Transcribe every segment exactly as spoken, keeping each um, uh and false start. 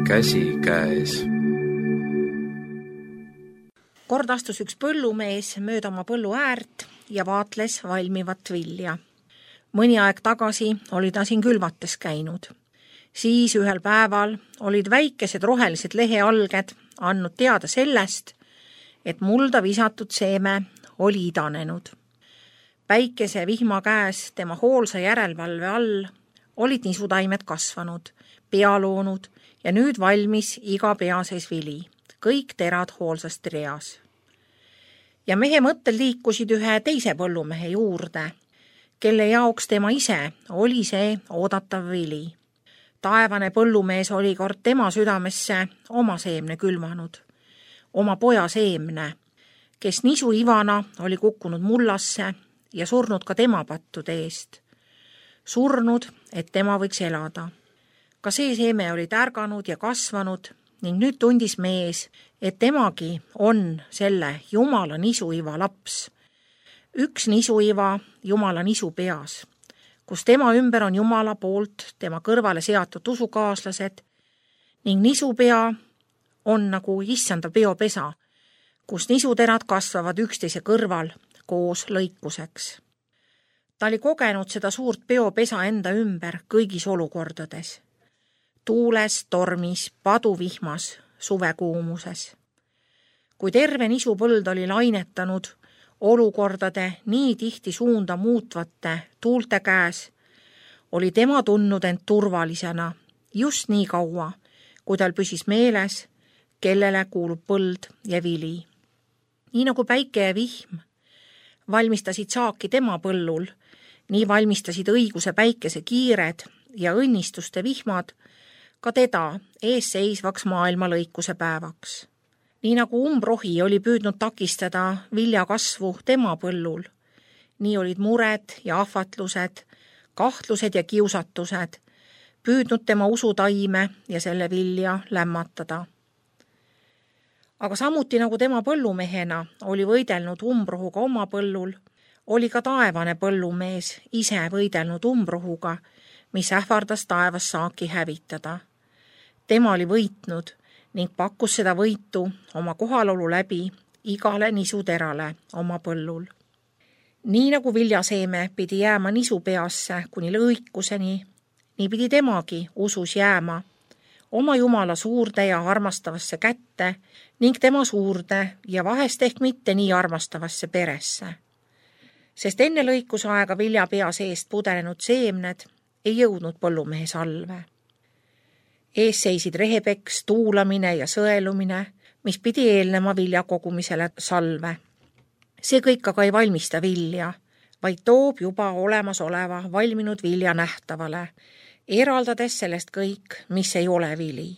käsikäes. Kord astus üks põllumees mööda oma põllu äärt ja vaatles valmivat vilja. Mõni aeg tagasi oli ta siin külvates käinud. Siis ühel päeval olid väikesed rohelised lehealged andnud teada sellest, et mulda visatud seeme oli idanenud. Päikese vihma käes tema hoolsa järelevalve all olid nisutaimed kasvanud, pea loonud ja nüüd valmis iga pea sees vili, kõik terad hoolsasti reas. Ja mehe mõttel liikusid ühe teise põllumehe juurde, kelle jaoks tema ise oli see oodatav vili. Taevane põllumees oli kord tema südamesse oma seemne külvanud, oma poja seemne, kes nisu ivana oli kukkunud mullasse ja surnud ka tema pattude eest. Surnud, et tema võiks elada. Ka see seeme oli tärganud ja kasvanud ning nüüd tundis mees, et temagi on selle Jumala nisuiva laps. Üks nisuiva Jumala nisu peas, kus tema ümber on Jumala poolt tema kõrvale seatud usukaaslased ning nisupea on nagu issanda peopesa, kus nisuterad kasvavad üksteise kõrval koos lõikuseks. Ta oli kogenud seda suurt peopesa enda ümber kõigis olukordades. Tuules, tormis, paduvihmas, suvekuumuses. Kui terve nisupõld oli lainetanud olukordade nii tihti suunda muutvate tuulte käes, oli tema tundnud end turvalisena just nii kaua, kui tal püsis meeles, kellele kuulub põld ja vili. Nii nagu päike ja vihm valmistasid saaki tema põllul, nii valmistasid õiguse päikese kiired ja õnnistuste vihmad ka teda ees seisvaks maailma lõikuse päevaks. Nii nagu umbrohi oli püüdnud takistada vilja kasvu tema põllul, nii olid mured ja ahvatlused, kahtlused ja kiusatused püüdnud tema usutaime ja selle vilja lämmatada. Aga samuti nagu tema põllumehena oli võidelnud umbrohuga oma põllul, oli ka taevane põllumees ise võidelnud umbrohuga, mis ähvardas taevas saaki hävitada. Tema oli võitnud ning pakkus seda võitu oma kohalolu läbi igale nisuterale oma põllul. Nii nagu viljaseeme pidi jääma nisupeasse kuni lõikuseni, nii pidi temagi usus jääma oma Jumala suurde ja armastavasse kätte ning tema suurde ja vahest ehk mitte nii armastavasse peresse. Sest enne lõikusaega vilja pea seest pudelenud seemned ei jõudnud põllumehe salve. Ees seisid rehepeks, tuulamine ja sõelumine, mis pidi eelnema vilja kogumisele salve. See kõik aga ei valmista vilja, vaid toob juba olemasoleva valminud vilja nähtavale, eraldades sellest kõik, mis ei ole vili.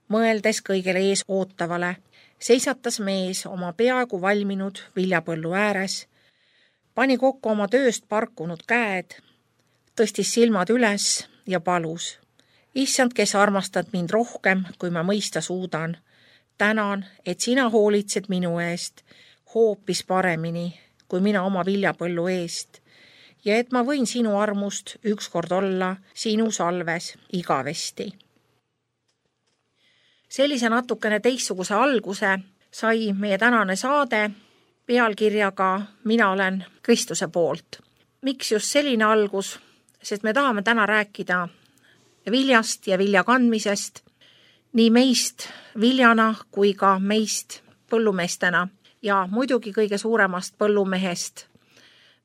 Mõeldes kõigele ees ootavale, seisatas mees oma peaaegu valminud viljapõllu ääres, pani kokku oma tööst parkunud käed, tõstis silmad üles ja palus. Issand, kes armastad mind rohkem, kui ma mõista suudan, tänan, et sina hoolitsed minu eest hoopis paremini, kui mina oma viljapõllu eest, ja et ma võin sinu armust ükskord olla sinu salves igavesti. Sellise natukene teistsuguse alguse sai meie tänane saade pealkirjaga Mina olen Kristuse poolt. Miks just selline algus? Sest me tahame täna rääkida viljast ja vilja kandmisest, nii meist viljana kui ka meist põllumeestena ja muidugi kõige suuremast põllumehest,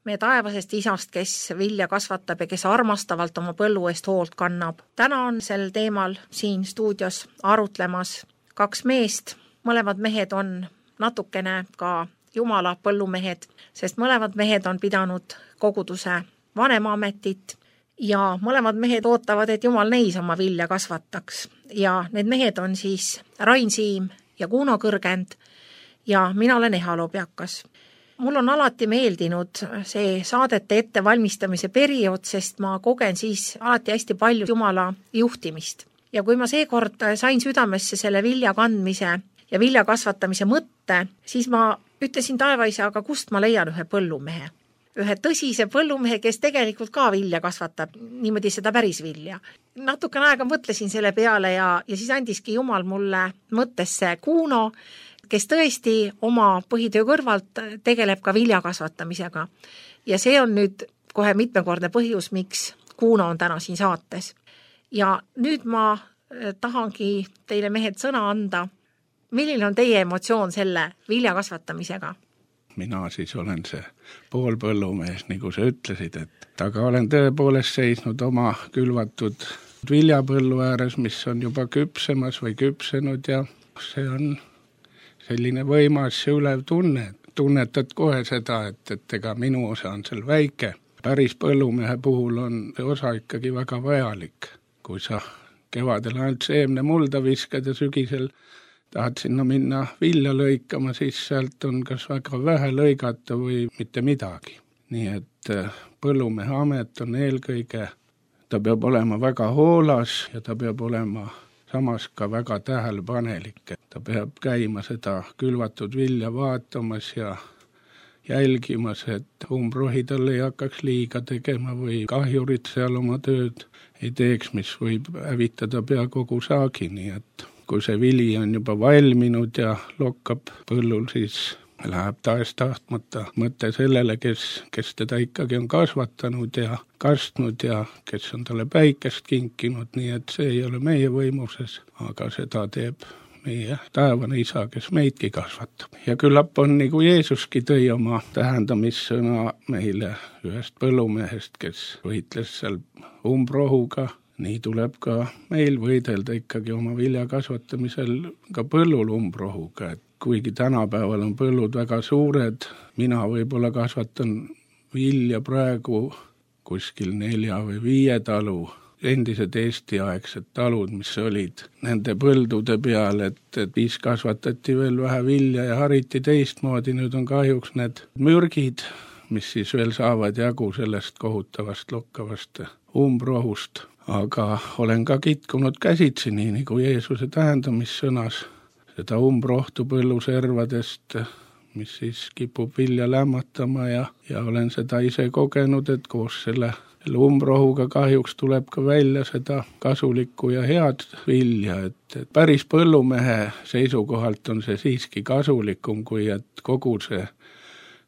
meie taevasest isast, kes vilja kasvatab ja kes armastavalt oma põllu eest hoolt kannab. Täna on sel teemal siin stuudios arutlemas kaks meest. Mõlemad mehed on natukene ka Jumala põllumehed, sest mõlemad mehed on pidanud koguduse vanemaametit ja mõlemad mehed ootavad, et Jumal neis oma vilja kasvataks. Ja need mehed on siis Rain Siim ja Kuno Kõrgend ja mina olen Eha Lobjakas. Mul on alati meeldinud see saadete ettevalmistamise periood, sest ma kogen siis alati hästi palju Jumala juhtimist. Ja kui ma seekord sain südamesse selle vilja kandmise ja vilja kasvatamise mõtte, siis ma ütlesin taevaisa, aga kust ma leian ühe põllumehe. ühe tõsise põllumehe, kes tegelikult ka vilja kasvatab, niimoodi seda päris vilja. Natukene aega mõtlesin selle peale ja, ja siis andiski Jumal mulle mõttesse Kuno, kes tõesti oma põhitöö kõrvalt tegeleb ka vilja kasvatamisega. Ja see on nüüd kohe mitmekordne põhjus, miks Kuno on täna siin saates. Ja nüüd ma tahangi teile mehed sõna anda. Milline on teie emotsioon selle vilja kasvatamisega? Mina siis olen see poolpõllumees, nagu sa ütlesid, et aga olen tõepoolest seisnud oma külvatud viljapõllu ääres, mis on juba küpsemas või küpsenud ja see on selline võimas ja ülev tunne. Tunnetad kohe seda, et, et ega minu osa on seal väike. Päris põllumehe puhul on see osa ikkagi väga vajalik. Kui sa kevadel ainult seemne mulda viskad ja sügisel tahad sinna minna vilja lõikama, siis sealt on kas väga vähe lõigata või mitte midagi. Nii et põllumehe amet on eelkõige, ta peab olema väga hoolas ja ta peab olema samas ka väga tähelepanelik. Ta peab käima seda külvatud vilja vaatamas ja jälgimas, et umbrohi talle ei hakkaks liiga tegema või kahjurid seal oma tööd ei teeks, mis võib hävitada pea kogu saagi, nii et kui see vili on juba valminud ja lokkab põllul, siis läheb taas tahtmata mõte sellele, kes, kes teda ikkagi on kasvatanud ja kastnud ja kes on talle päikest kinkinud, nii et see ei ole meie võimuses, aga seda teeb meie taevane isa, kes meidki kasvatab. Ja küllap on nagu Jeesuski tõi oma tähendamissõna meile ühest põllumehest, kes võitles seal umbrohuga. Nii tuleb ka meil võidelda ikkagi oma vilja kasvatamisel ka põllul umbrohuga, et kuigi tänapäeval on põllud väga suured, mina võib-olla kasvatan vilja praegu kuskil nelja või viie talu, endised Eesti-aegsed talud, mis olid nende põldude peal, et, et siis kasvatati veel vähe vilja ja hariti teistmoodi, nüüd on kahjuks need mürgid, mis siis veel saavad jagu sellest kohutavast lokkavast umbrohust. Aga olen ka kitkunud käsitsi, nii nagu Jeesuse tähendamissõnas, seda umbrohtu põlluservadest, mis siis kipub vilja lämmatama ja, ja olen seda ise kogenud, et koos selle umbrohuga kahjuks tuleb ka välja seda kasulikku ja head vilja, et, et päris põllumehe seisukohalt on see siiski kasulikum, kui et kogu see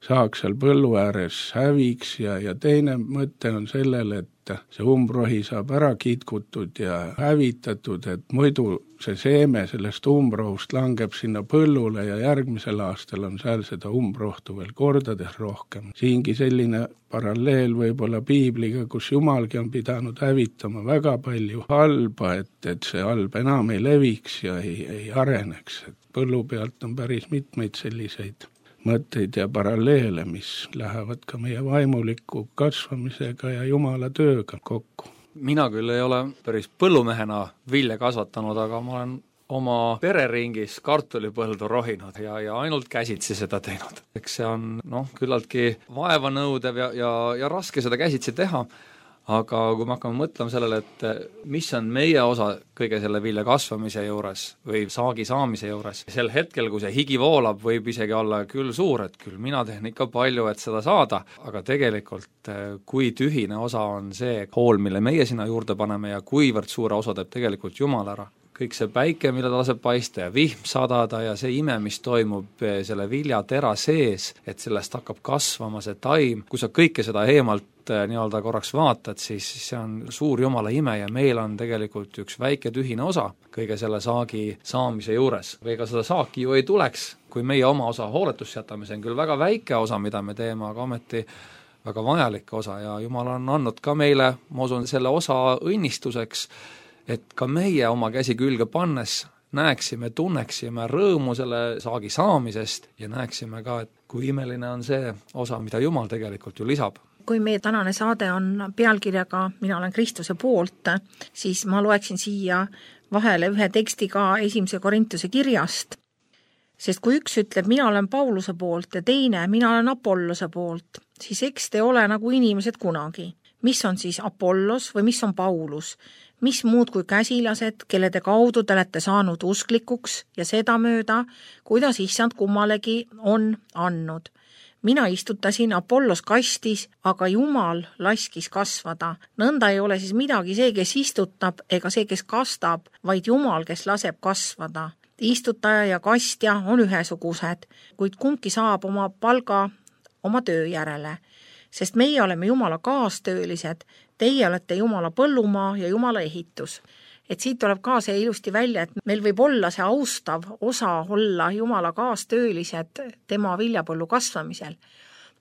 saaks seal põllu ääres häviks ja, ja teine mõte on sellele, et see umbrohi saab ära kitkutud ja hävitatud, et muidu see seeme sellest umbrohust langeb sinna põllule ja järgmisel aastal on seal seda umbrohtu veel kordades rohkem. Siingi selline paralleel võib-olla piibliga, kus Jumalgi on pidanud hävitama väga palju halba, et, et see halb enam ei leviks ja ei, ei areneks. Et põllu pealt on päris mitmeid selliseid mõtteid ja paralleele, mis lähevad ka meie vaimuliku kasvamisega ja Jumala tööga kokku. Mina küll ei ole päris põllumehena vilja kasvatanud, aga ma olen oma pereringis kartulipõldu rohinud ja, ja ainult käsitsi seda teinud. Eks see on noh, küllaltki vaevanõudev ja, ja, ja raske seda käsitsi teha, aga kui me hakkame mõtlema sellele, et mis on meie osa kõige selle vilja kasvamise juures või saagi saamise juures, sel hetkel, kui see higi voolab, võib isegi olla küll suur, et küll mina teen ikka palju, et seda saada, aga tegelikult kui tühine osa on see hool, mille meie sinna juurde paneme ja kuivõrd suure osa teeb tegelikult Jumal ära. Kõik see päike, mille ta laseb paista ja vihm sadada ja see ime, mis toimub selle viljatera sees, et sellest hakkab kasvama see taim, kui sa kõike seda eemalt nii-öelda korraks vaatad, siis see on suur Jumala ime ja meil on tegelikult üks väike tühine osa kõige selle saagi saamise juures. Ega seda saaki ju ei tuleks, kui meie oma osa hooletusse jätame, see on küll väga väike osa, mida me teeme, aga ometi väga vajalik osa ja Jumal on andnud ka meile, ma usun, selle osa õnnistuseks, et ka meie oma käsi külge pannes näeksime, tunneksime rõõmu selle saagi saamisest ja näeksime ka, et kui imeline on see osa, mida Jumal tegelikult ju lisab. Kui meie tänane saade on pealkirjaga Mina olen Kristuse poolt, siis ma loeksin siia vahele ühe teksti ka esimese Korintuse kirjast, sest kui üks ütleb, mina olen Pauluse poolt ja teine, mina olen Apollose poolt, siis eks te ole nagu inimesed kunagi. Mis on siis Apollos või mis on Paulus? Mis muud kui käsilased, kelle te kaudu te olete saanud usklikuks ja seda mööda, kuidas issand kummalegi on andnud. mina istutasin Apollos kastis, aga Jumal laskis kasvada. Nõnda ei ole siis midagi see, kes istutab, ega see, kes kastab, vaid Jumal, kes laseb kasvada. Istutaja ja kastja on ühesugused, kuid kumbki saab oma palga oma töö järele, sest meie oleme Jumala kaastöölised, teie olete Jumala põllumaa ja Jumala ehitus. Et siit tuleb ka see ilusti välja, et meil võib olla see austav osa olla Jumala kaastöölised tema viljapõllu kasvamisel.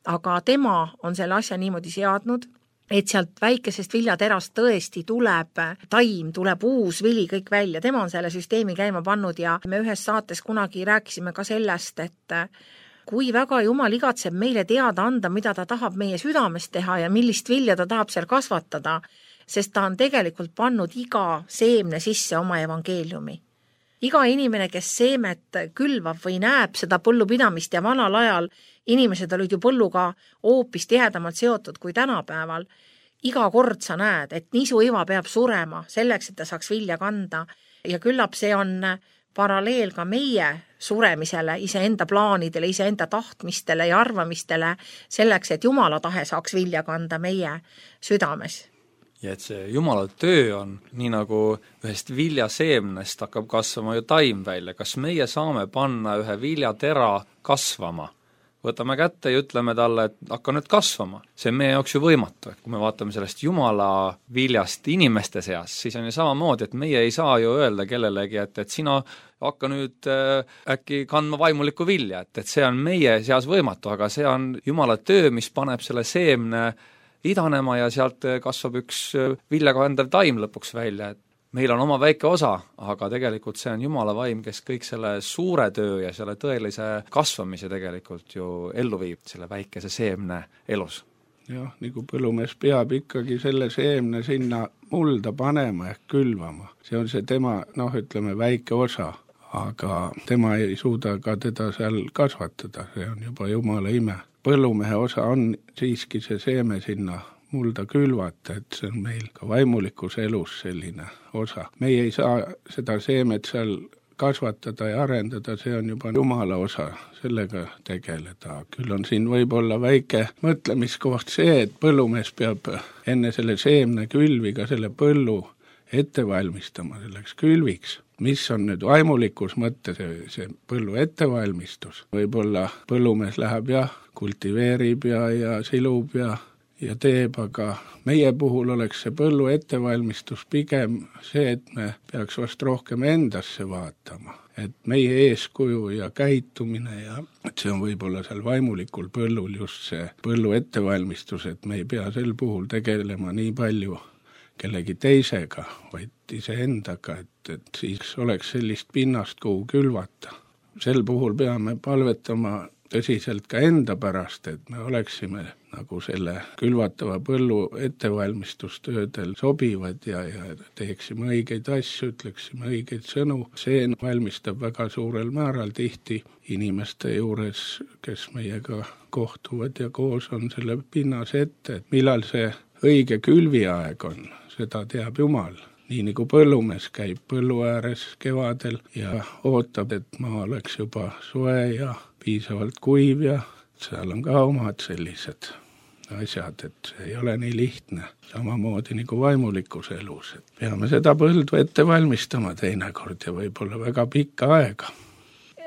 Aga tema on selle asja niimoodi seadnud, et sealt väikesest viljaterast tõesti tuleb taim, tuleb uus vili kõik välja. Tema on selle süsteemi käima pannud ja me ühes saates kunagi rääkisime ka sellest, et kui väga Jumal igatseb meile teada anda, mida ta tahab meie südames teha ja millist vilja ta tahab seal kasvatada, sest ta on tegelikult pannud iga seemne sisse oma evangeeliumi. Iga inimene, kes seemet külvab või näeb seda põllupidamist ja vanal ajal inimesed olid ju põlluga hoopis tihedamalt seotud kui tänapäeval, iga kord sa näed, et nisuiva peab surema selleks, et ta saaks vilja kanda ja küllap see on paralleel ka meie suremisele, iseenda plaanidele, iseenda tahtmistele ja arvamistele selleks, et Jumala tahe saaks vilja kanda meie südames. Ja et see Jumala töö on, nii nagu ühest viljaseemnest hakkab kasvama ju taim välja, kas meie saame panna ühe viljatera kasvama? Võtame kätte ja ütleme talle, et hakka nüüd kasvama. See on meie jaoks ju võimatu. Kui me vaatame sellest Jumala viljast inimeste seas, siis on ju samamoodi, et meie ei saa ju öelda kellelegi, et, et sina hakka nüüd äh, äkki kandma vaimulikku vilja, et, et see on meie seas võimatu, aga see on Jumala töö, mis paneb selle seemne idanema ja sealt kasvab üks viljakandev taim lõpuks välja, et meil on oma väike osa, aga tegelikult see on Jumala vaim, kes kõik selle suure töö ja selle tõelise kasvamise tegelikult ju ellu viib, selle väikese seemne elus. Jah, nagu põllumees peab ikkagi selle seemne sinna mulda panema ehk külvama. See on see tema, noh, ütleme, väike osa, aga tema ei suuda ka teda seal kasvatada, see on juba Jumala ime. Põllumehe osa on siiski see seeme sinna mulda külvata, et see on meil ka vaimulikus elus selline osa. Meie ei saa seda seemet seal kasvatada ja arendada, see on juba Jumala osa sellega tegeleda. Küll on siin võib-olla väike mõtlemiskoht see, et põllumees peab enne selle seemne külviga selle põllu ette valmistama selleks külviks. Mis on nüüd vaimulikus mõtte see, see põllu ettevalmistus? Võib-olla põllumees läheb ja kultiveerib ja, ja silub ja ja teeb, aga meie puhul oleks see põllu ettevalmistus pigem see, et me peaks vast rohkem endasse vaatama, et meie eeskuju ja käitumine ja et see on võib-olla seal vaimulikul põllul just see põllu ettevalmistus, et me ei pea sel puhul tegelema nii palju kellegi teisega, vaid iseendaga, et, et siis oleks sellist pinnast, kuhu külvata. Sel puhul peame palvetama tõsiselt ka enda pärast, et me oleksime nagu selle külvatava põllu ettevalmistustöödel sobivad ja, ja teeksime õigeid asju, ütleksime õigeid sõnu. See valmistab väga suurel määral tihti inimeste juures, kes meiega kohtuvad ja koos on selle pinnas ette, et millal see õige külviaeg on, seda teab Jumal. Nii nagu põllumees käib põllu ääres kevadel ja ootab, et maa oleks juba soe ja piisavalt kuiv ja seal on ka omad sellised asjad, et see ei ole nii lihtne. Samamoodi nagu vaimulikus elus, et peame seda põldu ette valmistama teinekord ja võib-olla väga pikka aega.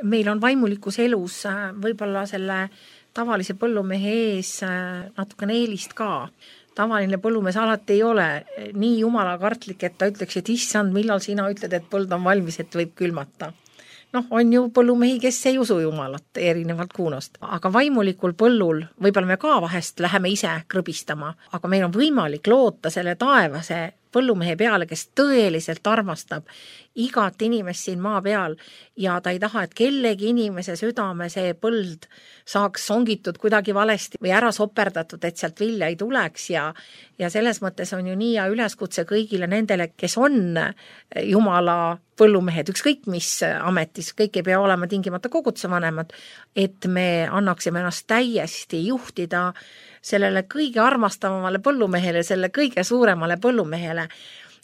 Meil on vaimulikus elus võib-olla selle tavalise põllumehe ees natukene eelist ka. Tavaline põllumees alati ei ole nii jumala kartlik, et ta ütleks, et issand, millal sina ütled, et põld on valmis, et võib külmata. Noh, on ju põllumehi, kes ei usu Jumalat erinevalt kuunost. Aga vaimulikul põllul võib-olla me ka vahest läheme ise krõbistama, aga meil on võimalik loota selle taevase põllumehe peale, kes tõeliselt armastab igat inimest siin maa peal ja ta ei taha, et kellegi inimese südame see põld saaks songitud kuidagi valesti või ära soperdatud, et sealt vilja ei tuleks ja, ja selles mõttes on ju nii ja üleskutse kõigile nendele, kes on Jumala põllumehed, ükskõik mis ametis, kõik ei pea olema tingimata kogutsevanemad, et me annaksime ennast täiesti juhtida sellele kõige armastavamale põllumehele, selle kõige suuremale põllumehele,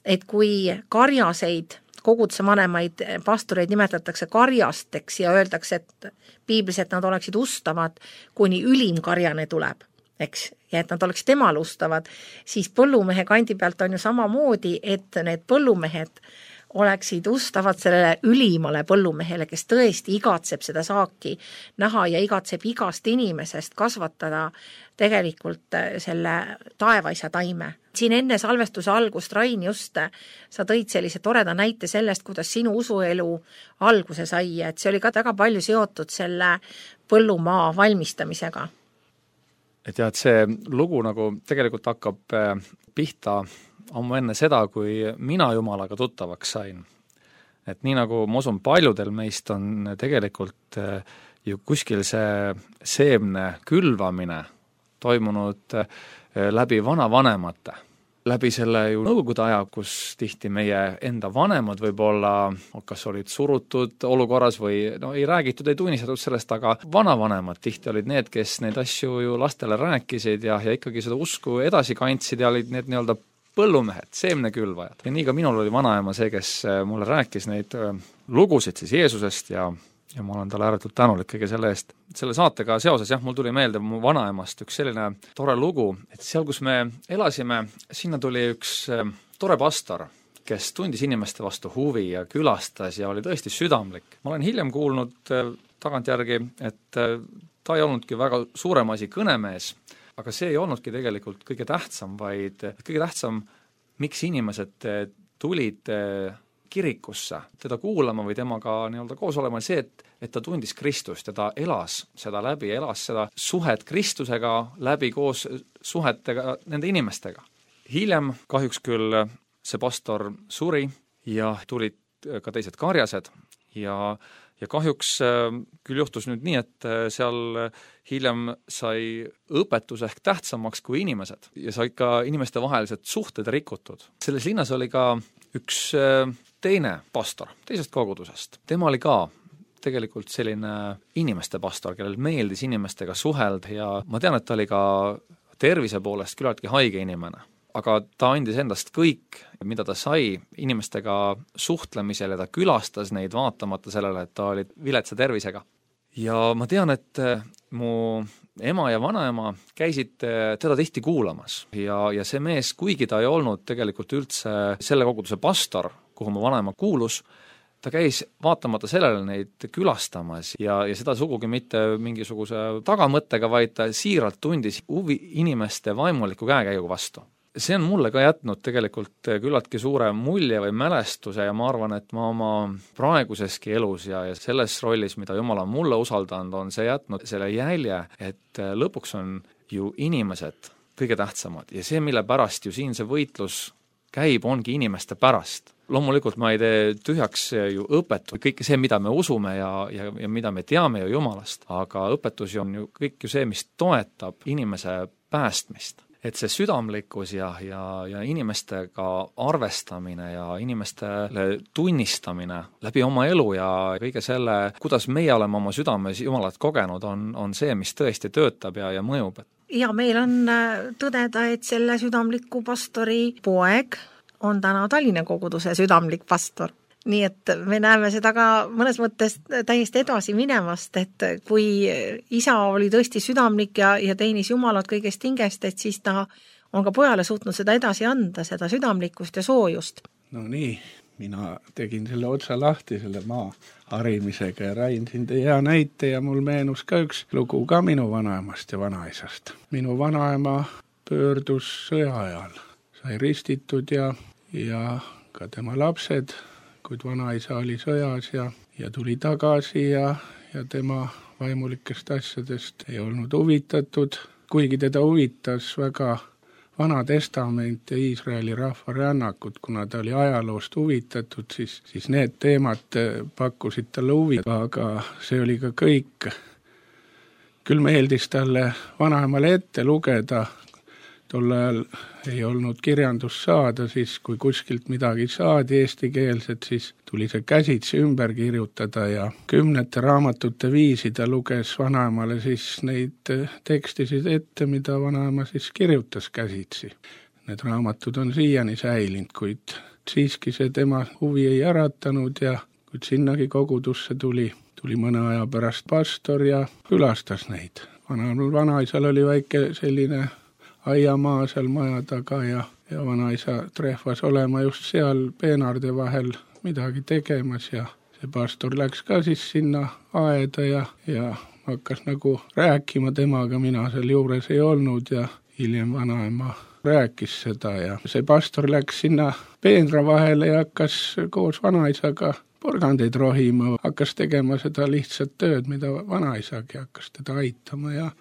et kui karjaseid koguduse vanemaid pastoreid nimetatakse karjasteks ja öeldakse, et piiblis, et nad oleksid ustavad, kuni ülim karjane tuleb, eks, ja et nad oleksid temal ustavad, siis põllumehe kandi pealt on ju samamoodi, et need põllumehed oleksid ustavad sellele ülimale põllumehele, kes tõesti igatseb seda saaki näha ja igatseb igast inimesest kasvatada tegelikult selle taevaisa taime. Siin enne salvestuse algust, Rain, just sa tõid sellise toreda näite sellest, kuidas sinu usuelu alguse sai, et see oli ka väga palju seotud selle põllumaa valmistamisega. Et jah, et see lugu nagu tegelikult hakkab pihta ammu enne seda, kui mina Jumalaga tuttavaks sain. Et nii nagu ma usun, paljudel meist on tegelikult ju kuskil see seemne külvamine toimunud läbi vanavanemate. Läbi selle ju nõukogude aja, kus tihti meie enda vanemad võib-olla, kas olid surutud olukorras või no ei räägitud, ei tunnistatud sellest, aga vanavanemad tihti olid need, kes neid asju ju lastele rääkisid ja, ja ikkagi seda usku edasi kandsid ja olid need nii-öelda põllumehed, seemnekülvajad. Ja nii ka minul oli vanaema see, kes mulle rääkis neid lugusid siis Jeesusest ja, ja ma olen talle ääretult tänulik kõige selle eest. Selle saatega seoses, jah, mul tuli meelde mu vanaemast üks selline tore lugu, et seal, kus me elasime, sinna tuli üks tore pastor, kes tundis inimeste vastu huvi ja külastas ja oli tõesti südamlik. Ma olen hiljem kuulnud tagantjärgi, et ta ei olnudki väga suurem asi kõnemees, aga see ei olnudki tegelikult kõige tähtsam, vaid kõige tähtsam, miks inimesed tulid kirikusse teda kuulama või temaga nii-öelda koos olema, see, et, et ta tundis Kristust ja ta elas seda läbi, elas seda suhet Kristusega läbi koos suhetega nende inimestega. Hiljem kahjuks küll see pastor suri ja tulid ka teised karjased ja Ja kahjuks küll juhtus nüüd nii, et seal hiljem sai õpetus ehk tähtsamaks kui inimesed ja sai ka inimeste vahelised suhted rikutud. Selles linnas oli ka üks teine pastor teisest kogudusest. Tema oli ka tegelikult selline inimeste pastor, kellel meeldis inimestega suhelda ja ma tean, et ta oli ka tervise poolest küllaltki haige inimene. Aga ta andis endast kõik, mida ta sai inimestega suhtlemisel ja ta külastas neid vaatamata sellele, et ta oli viletsa tervisega. Ja ma tean, et mu ema ja vanaema käisid teda tihti kuulamas ja, ja see mees, kuigi ta ei olnud tegelikult üldse selle koguduse pastor, kuhu mu vanaema kuulus, ta käis vaatamata sellele neid külastamas ja, ja seda sugugi mitte mingisuguse tagamõttega, vaid ta siiralt tundis huvi inimeste vaimuliku käekäigu vastu. See on mulle ka jätnud tegelikult küllaltki suure mulje või mälestuse ja ma arvan, et ma oma praeguseski elus ja, ja selles rollis, mida Jumal on mulle usaldanud, on see jätnud selle jälje, et lõpuks on ju inimesed kõige tähtsamad ja see, mille pärast ju siin see võitlus käib, ongi inimeste pärast. Loomulikult ma ei tee tühjaks ju õpetus, kõik see, mida me usume ja, ja, ja mida me teame ju Jumalast, aga õpetus on ju kõik ju see, mis toetab inimese päästmist. Et see südamlikkus ja, ja, ja inimestega arvestamine ja inimestele tunnistamine läbi oma elu ja kõige selle, kuidas meie oleme oma südames Jumalat kogenud, on, on see, mis tõesti töötab ja, ja mõjub. Ja meil on tõdeda, et selle südamliku pastori poeg on täna Tallinna koguduse südamlik pastor. Nii et me näeme seda ka mõnes mõttes täiesti edasi minemast, et kui isa oli tõesti südamlik ja, ja teenis Jumalat kõigest hingest, et siis ta on ka pojale suutnud seda edasi anda, seda südamlikkust ja soojust. No nii, mina tegin selle otsa lahti selle maa harimisega ja Rain siin tõi hea näite ja mul meenus ka üks lugu ka minu vanaemast ja vanaisast. Minu vanaema pöördus sõja ajal, sai ristitud ja, ja ka tema lapsed, kuid vanaisa oli sõjas ja, ja tuli tagasi ja, ja tema vaimulikest asjadest ei olnud huvitatud, kuigi teda huvitas väga Vana Testament ja Iisraeli rahva rännakud, kuna ta oli ajaloost huvitatud, siis, siis need teemad pakkusid talle huvi, aga see oli ka kõik. Küll meeldis talle vanaemale ette lugeda, tol ajal ei olnud kirjandust saada, siis kui kuskilt midagi saadi eestikeelset, siis tuli see käsitsi ümber kirjutada ja kümnete raamatute viisi ta luges vanaemale siis neid tekstisid ette, mida vanaema siis kirjutas käsitsi. Need raamatud on siiani säilinud, kuid siiski see tema huvi ei äratanud ja kui sinnagi kogudusse tuli, tuli mõne aja pärast pastor ja külastas neid. Vana, vanaisal oli väike selline aiamaa seal maja taga ja, ja vanaisa trehvas olema just seal peenarde vahel midagi tegemas ja see pastor läks ka siis sinna aeda ja, ja hakkas nagu rääkima temaga, mina seal juures ei olnud ja hiljem vanaema rääkis seda ja see pastor läks sinna peenra vahele ja hakkas koos vanaisaga porgandeid rohima, hakkas tegema seda lihtsat tööd, mida vanaisagi hakkas teda aitama ja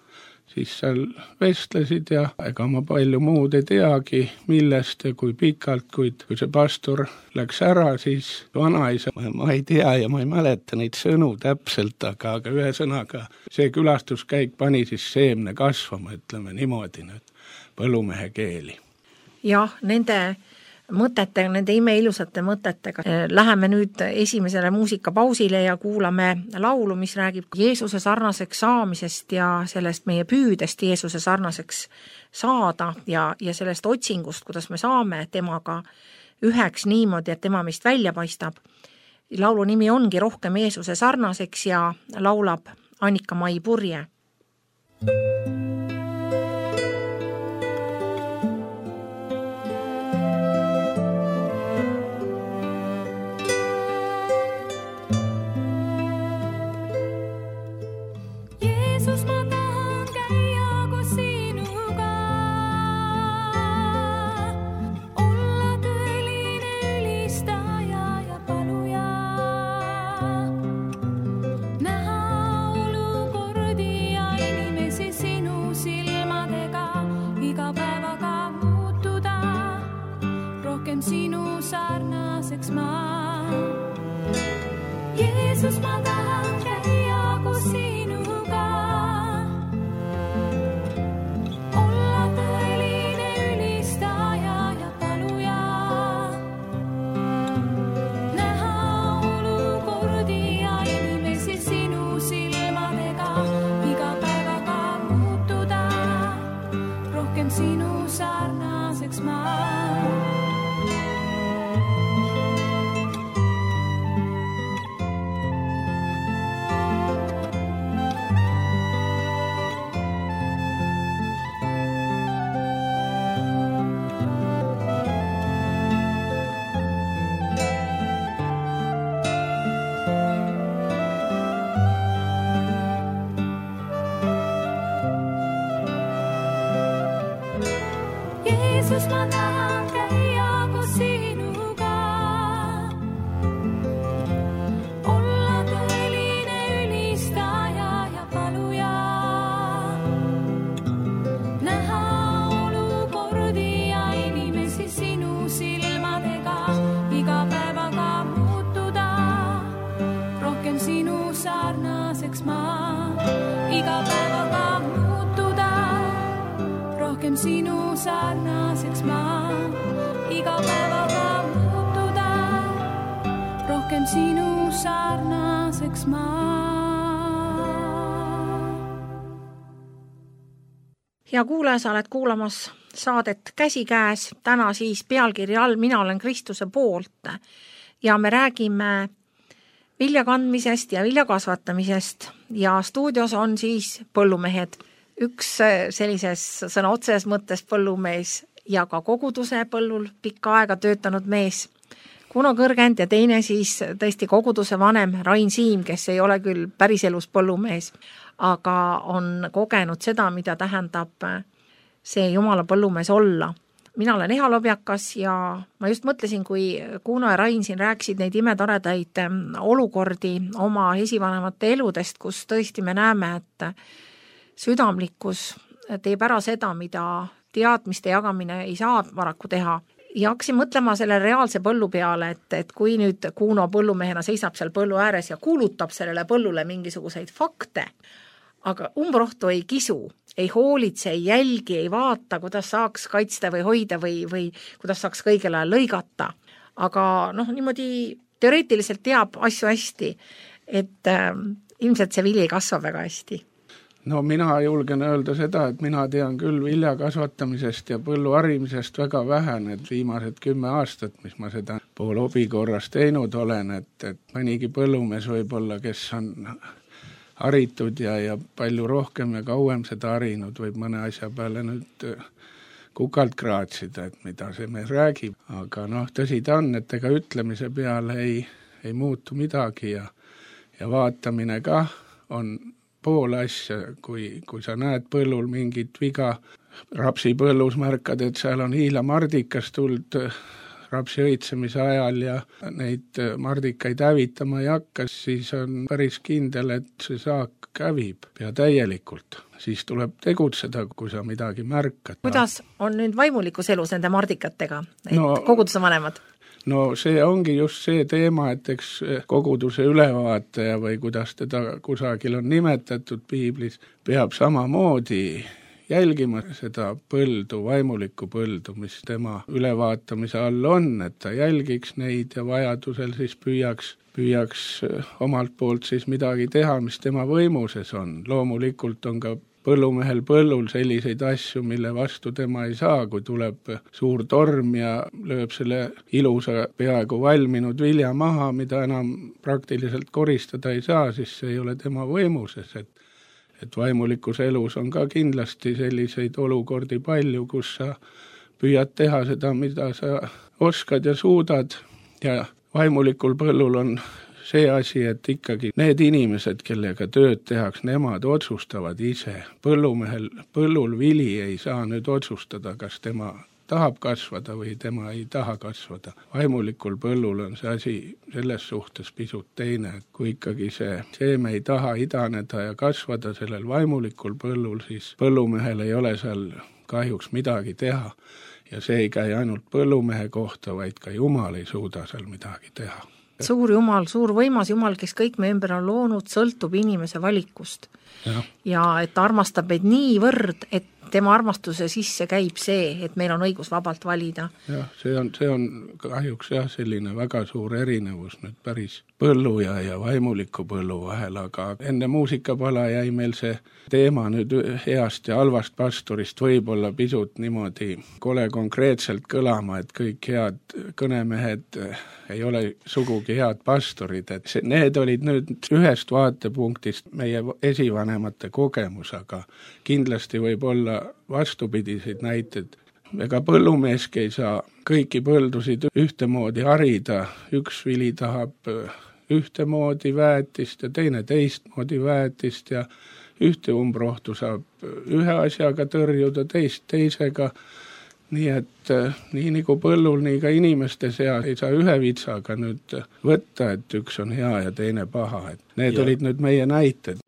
siis seal vestlesid ja ega ma palju muud ei teagi, millest ja kui pikalt, kuid kui see pastor läks ära, siis vanaisa, ma ei tea ja ma ei mäleta neid sõnu täpselt, aga, aga ühe sõnaga see külastuskäik pani siis seemne kasvama, ütleme niimoodi nüüd, põllumehe keeli. Jah, nende mõtetega, nende imeilusate mõtetega. Läheme nüüd esimesele muusikapausile ja kuulame laulu, mis räägib Jeesuse sarnaseks saamisest ja sellest meie püüdest Jeesuse sarnaseks saada ja, ja sellest otsingust, kuidas me saame temaga üheks niimoodi, et tema meist välja paistab. Laulu nimi ongi Rohkem Jeesuse sarnaseks ja laulab Annika-Mai Purje. Sinu sarnaseks ma. Jeesus, ma tahan käia koos sinuga. Olla tõeline ülistaja ja paluja. Näha olukordi ja inimesi sinu silmadega. Iga päevaga muutuda. Rohkem sinu sarnaseks ma. Jeesus, ma tahan käia koos sinuga. Olla tõeline ülistaja ja paluja. Näha olukordi ja inimesi sinu silmadega. Iga päevaga muutuda. Rohkem sinu sarnaseks ma. Iga päevaga muutuda. Rohkem sinu sarnaseks ma, iga päevaga muutuda, rohkem sinu sarnaseks ma. Hea kuulaja, sa oled kuulamas saadet Käsikäes, täna siis pealkirja all Mina olen Kristuse poolt ja me räägime vilja kandmisest ja vilja kasvatamisest ja stuudios on siis põllumehed. Üks sellises sõna otseses mõttes põllumees ja ka koguduse põllul pikka aega töötanud mees Kuno Kõrgend ja teine siis tõesti koguduse vanem Rain Siim, kes ei ole küll päriselus põllumees, aga on kogenud seda, mida tähendab see Jumala põllumees olla. Mina olen Eha Lobjakas ja ma just mõtlesin, kui Kuno ja Rain siin rääkisid neid imetoredaid olukordi oma esivanemate eludest, kus tõesti me näeme, et südamlikkus teeb ära seda, mida teadmiste jagamine ei saa paraku teha. Ja hakkasin mõtlema selle reaalse põllu peale, et, et kui nüüd Kuno põllumehena seisab seal põllu ääres ja kuulutab sellele põllule mingisuguseid fakte, aga umbrohtu ei kisu, ei hoolitse, ei jälgi, ei vaata, kuidas saaks kaitsta või hoida või, või kuidas saaks kõigel ajal lõigata. Aga noh, niimoodi teoreetiliselt teab asju hästi, et äh, ilmselt see vili kasvab väga hästi. no mina julgen öelda seda, et mina tean küll vilja kasvatamisest ja põllu harimisest väga vähe, need viimased kümme aastat, mis ma seda pool hobi korras teinud olen, et, et mõnigi põllumees võib-olla, kes on haritud ja, ja palju rohkem ja kauem seda harinud, võib mõne asja peale nüüd kukalt kraatsida, et mida see mees räägib. Aga noh, tõsi ta on, et ega ütlemise peale ei, ei muutu midagi ja, ja vaatamine ka on pool asja, kui, kui sa näed põllul mingit viga, rapsi põllus märkad, et seal on hiilamardikas tuld rapsi õitsemise ajal ja neid mardikaid hävitama ei hakka, siis on päris kindel, et see saak hävib pea täielikult. Siis tuleb tegutseda, kui sa midagi märkad. Kuidas on nüüd vaimulikus elus nende mardikatega, et no, koguduse vanemad? No see ongi just see teema, et eks koguduse ülevaataja või kuidas teda kusagil on nimetatud piiblis, peab samamoodi jälgima seda põldu, vaimulikku põldu, mis tema ülevaatamise all on, et ta jälgiks neid ja vajadusel siis püüaks, püüaks omalt poolt siis midagi teha, mis tema võimuses on. Loomulikult on ka põllumehel põllul selliseid asju, mille vastu tema ei saa, kui tuleb suur torm ja lööb selle ilusa peaaegu valminud vilja maha, mida enam praktiliselt koristada ei saa, siis see ei ole tema võimuses, et et vaimulikus elus on ka kindlasti selliseid olukordi palju, kus sa püüad teha seda, mida sa oskad ja suudad ja vaimulikul põllul on see asi, et ikkagi need inimesed, kellega tööd tehaks, nemad otsustavad ise. Põllumehel, põllul vili ei saa nüüd otsustada, kas tema tahab kasvada või tema ei taha kasvada. Vaimulikul põllul on see asi selles suhtes pisut teine, et kui ikkagi see seeme ei taha idaneda ja kasvada sellel vaimulikul põllul, siis põllumehel ei ole seal kahjuks midagi teha. Ja see ei käi ainult põllumehe kohta, vaid ka Jumal ei suuda seal midagi teha. Suur Jumal, suur võimas Jumal, kes kõik me ümber on loonud, sõltub inimese valikust. Ja, ja et ta armastab meid niivõrd, et tema armastuse sisse käib see, et meil on õigus vabalt valida. Jah, see on, see on kahjuks jah, selline väga suur erinevus nüüd päris põllu ja, ja vaimuliku põllu vahel, aga enne muusikapala jäi meil see teema nüüd heast ja halvast pastorist võib-olla pisut niimoodi kole konkreetselt kõlama, et kõik head kõnemehed ei ole sugugi head pastorid, et see, need olid nüüd ühest vaatepunktist meie esivanemate kogemus, aga kindlasti võib olla vastupidiseid näited. Ega põllumeeski ei saa kõiki põldusid ühtemoodi harida, üks vili tahab ühtemoodi väetist ja teine teistmoodi väetist ja ühte umbrohtu saab ühe asjaga tõrjuda, teist teisega, nii et nii nagu põllul, nii ka inimeste seas ei saa ühe vitsaga nüüd võtta, et üks on hea ja teine paha, et need ja. Olid nüüd meie näited.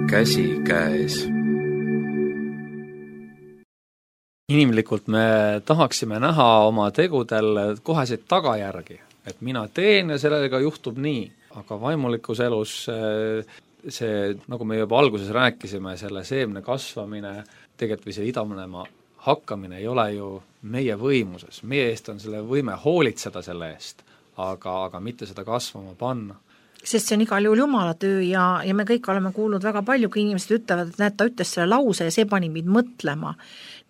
Käsi käes. Inimlikult me tahaksime näha oma tegudel koheseid tagajärgi, et mina teen ja sellega juhtub nii, aga vaimulikus elus see, nagu me juba alguses rääkisime, selle seemne kasvamine, tegelikult või see idanema hakkamine ei ole ju meie võimuses, meie eest on selle võime hoolitseda selle eest, aga, aga mitte seda kasvama panna. Sest see on igal juhul Jumala töö ja, ja me kõik oleme kuulnud väga palju, kui inimesed ütlevad, et näed, ta ütles selle lause ja see pani mind mõtlema.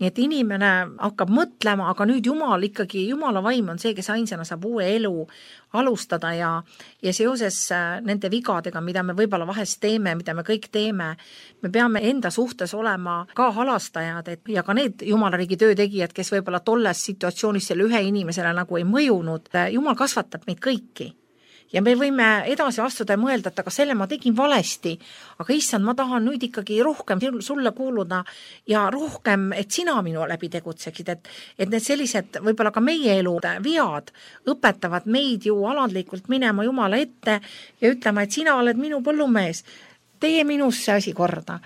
Nii et inimene hakkab mõtlema, aga nüüd Jumal ikkagi, Jumala vaim on see, kes ainsana saab uue elu alustada ja, ja seoses nende vigadega, mida me võib-olla vahest teeme, mida me kõik teeme, me peame enda suhtes olema ka halastajad et, ja ka need Jumala riigi töötegijad, kes võib-olla tolles situatsioonis selle ühe inimesele nagu ei mõjunud. Jumal kasvatab meid kõiki. Ja me võime edasi astuda ja mõelda, et aga selle ma tegin valesti, aga issand, ma tahan nüüd ikkagi rohkem sulle kuuluda ja rohkem, et sina minu läbi tegutseksid, et, et need sellised võib-olla ka meie elu vead õpetavad meid ju alandlikult minema Jumala ette ja ütlema, et sina oled minu põllumees, tee minus see asi korda.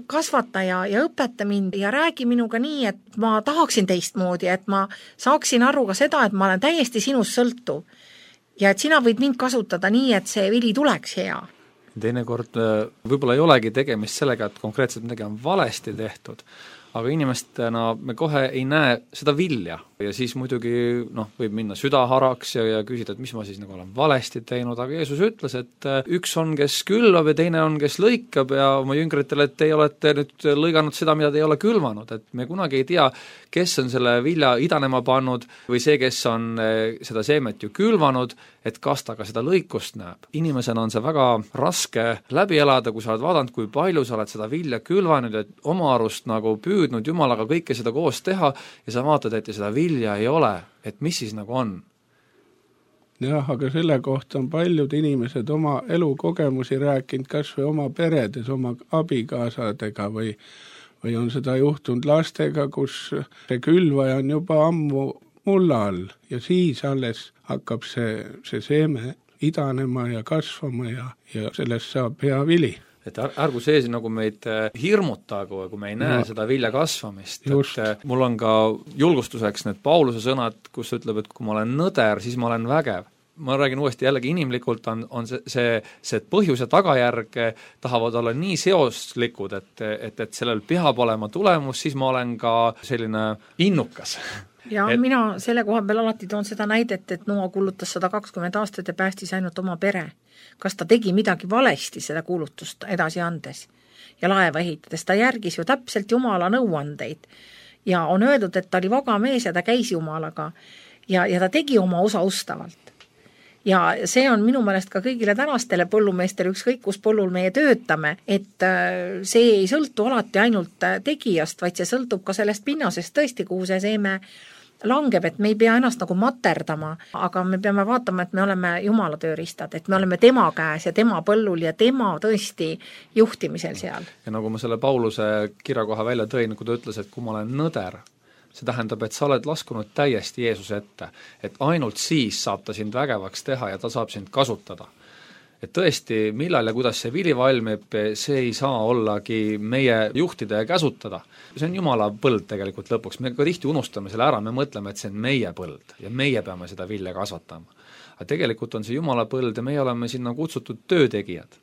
Kasvata ja, ja õpeta mind ja räägi minuga nii, et ma tahaksin teistmoodi, et ma saaksin aru ka seda, et ma olen täiesti sinust sõltuv. ja et sina võid mind kasutada nii, et see vili tuleks hea. Teinekord võib-olla ei olegi tegemist sellega, et konkreetselt midagi on valesti tehtud, aga inimestena me kohe ei näe seda vilja ja siis muidugi noh, võib minna südaharaks ja, ja küsida, et mis ma siis nagu olen valesti teinud, aga Jeesus ütles, et üks on, kes külvab ja teine on, kes lõikab ja oma jüngritele, et teie olete nüüd lõiganud seda, mida te ei ole külvanud, et me kunagi ei tea, kes on selle vilja idanema pannud või see, kes on seda seemet ju külvanud, et kas ta ka seda lõikust näeb. Inimesena on see väga raske läbi elada, kui sa oled vaadanud, kui palju sa oled seda vilja külvanud, et oma arust nagu püüdnud Jumalaga kõike seda koos teha ja sa vaatad, et seda vilja ei ole, et mis siis nagu on? Jah, aga selle kohta on paljud inimesed oma elukogemusi rääkinud kas või oma peredes, oma abikaasadega või, või on seda juhtunud lastega, kus see külvaja on juba ammu mulla all ja siis alles hakkab see, see seeme idanema ja kasvama ja, ja sellest saab hea vili. Et ärgu see nagu meid hirmutagu, kui me ei näe no, seda vilja kasvamist. Et mul on ka julgustuseks need Pauluse sõnad, kus ütleb, et kui ma olen nõder, siis ma olen vägev. Ma räägin uuesti jällegi inimlikult, on, on see, see, see põhjus ja tagajärg tahavad olla nii seoslikud, et, et, et sellel peab olema tulemus, siis ma olen ka selline innukas. Ja et... mina selle koha peal alati toon seda näidet, et Noa kulutas sada kakskümmend aastat ja päästis ainult oma pere. Kas ta tegi midagi valesti seda kuulutust edasi andes ja laeva ehitades? Ta järgis ju täpselt Jumala nõuandeid ja on öeldud, et ta oli vaga mees ja ta käis Jumalaga ja, ja ta tegi oma osa ustavalt. Ja see on minu meelest ka kõigile tänastele põllumeestele, ükskõik kus põllul meie töötame, et see ei sõltu alati ainult tegijast, vaid see sõltub ka sellest pinnasest tõesti, kuhu see seeme langeb, et me ei pea ennast nagu materdama, aga me peame vaatama, et me oleme Jumala tööriistad, et me oleme tema käes ja tema põllul ja tema tõesti juhtimisel seal. Ja nagu ma selle Pauluse kirjakoha välja tõin, kui ta ütles, et kui ma olen nõder, see tähendab, et sa oled laskunud täiesti Jeesuse ette, et ainult siis saab ta sind vägevaks teha ja ta saab sind kasutada. Et tõesti, millal ja kuidas see vili valmib, see ei saa ollagi meie juhtida ja käsutada. See on Jumala põld tegelikult lõpuks, me ka tihti unustame selle ära, me mõtleme, et see on meie põld ja meie peame seda vilja kasvatama. Aga tegelikult on see Jumala põld ja meie oleme sinna kutsutud töötegijad.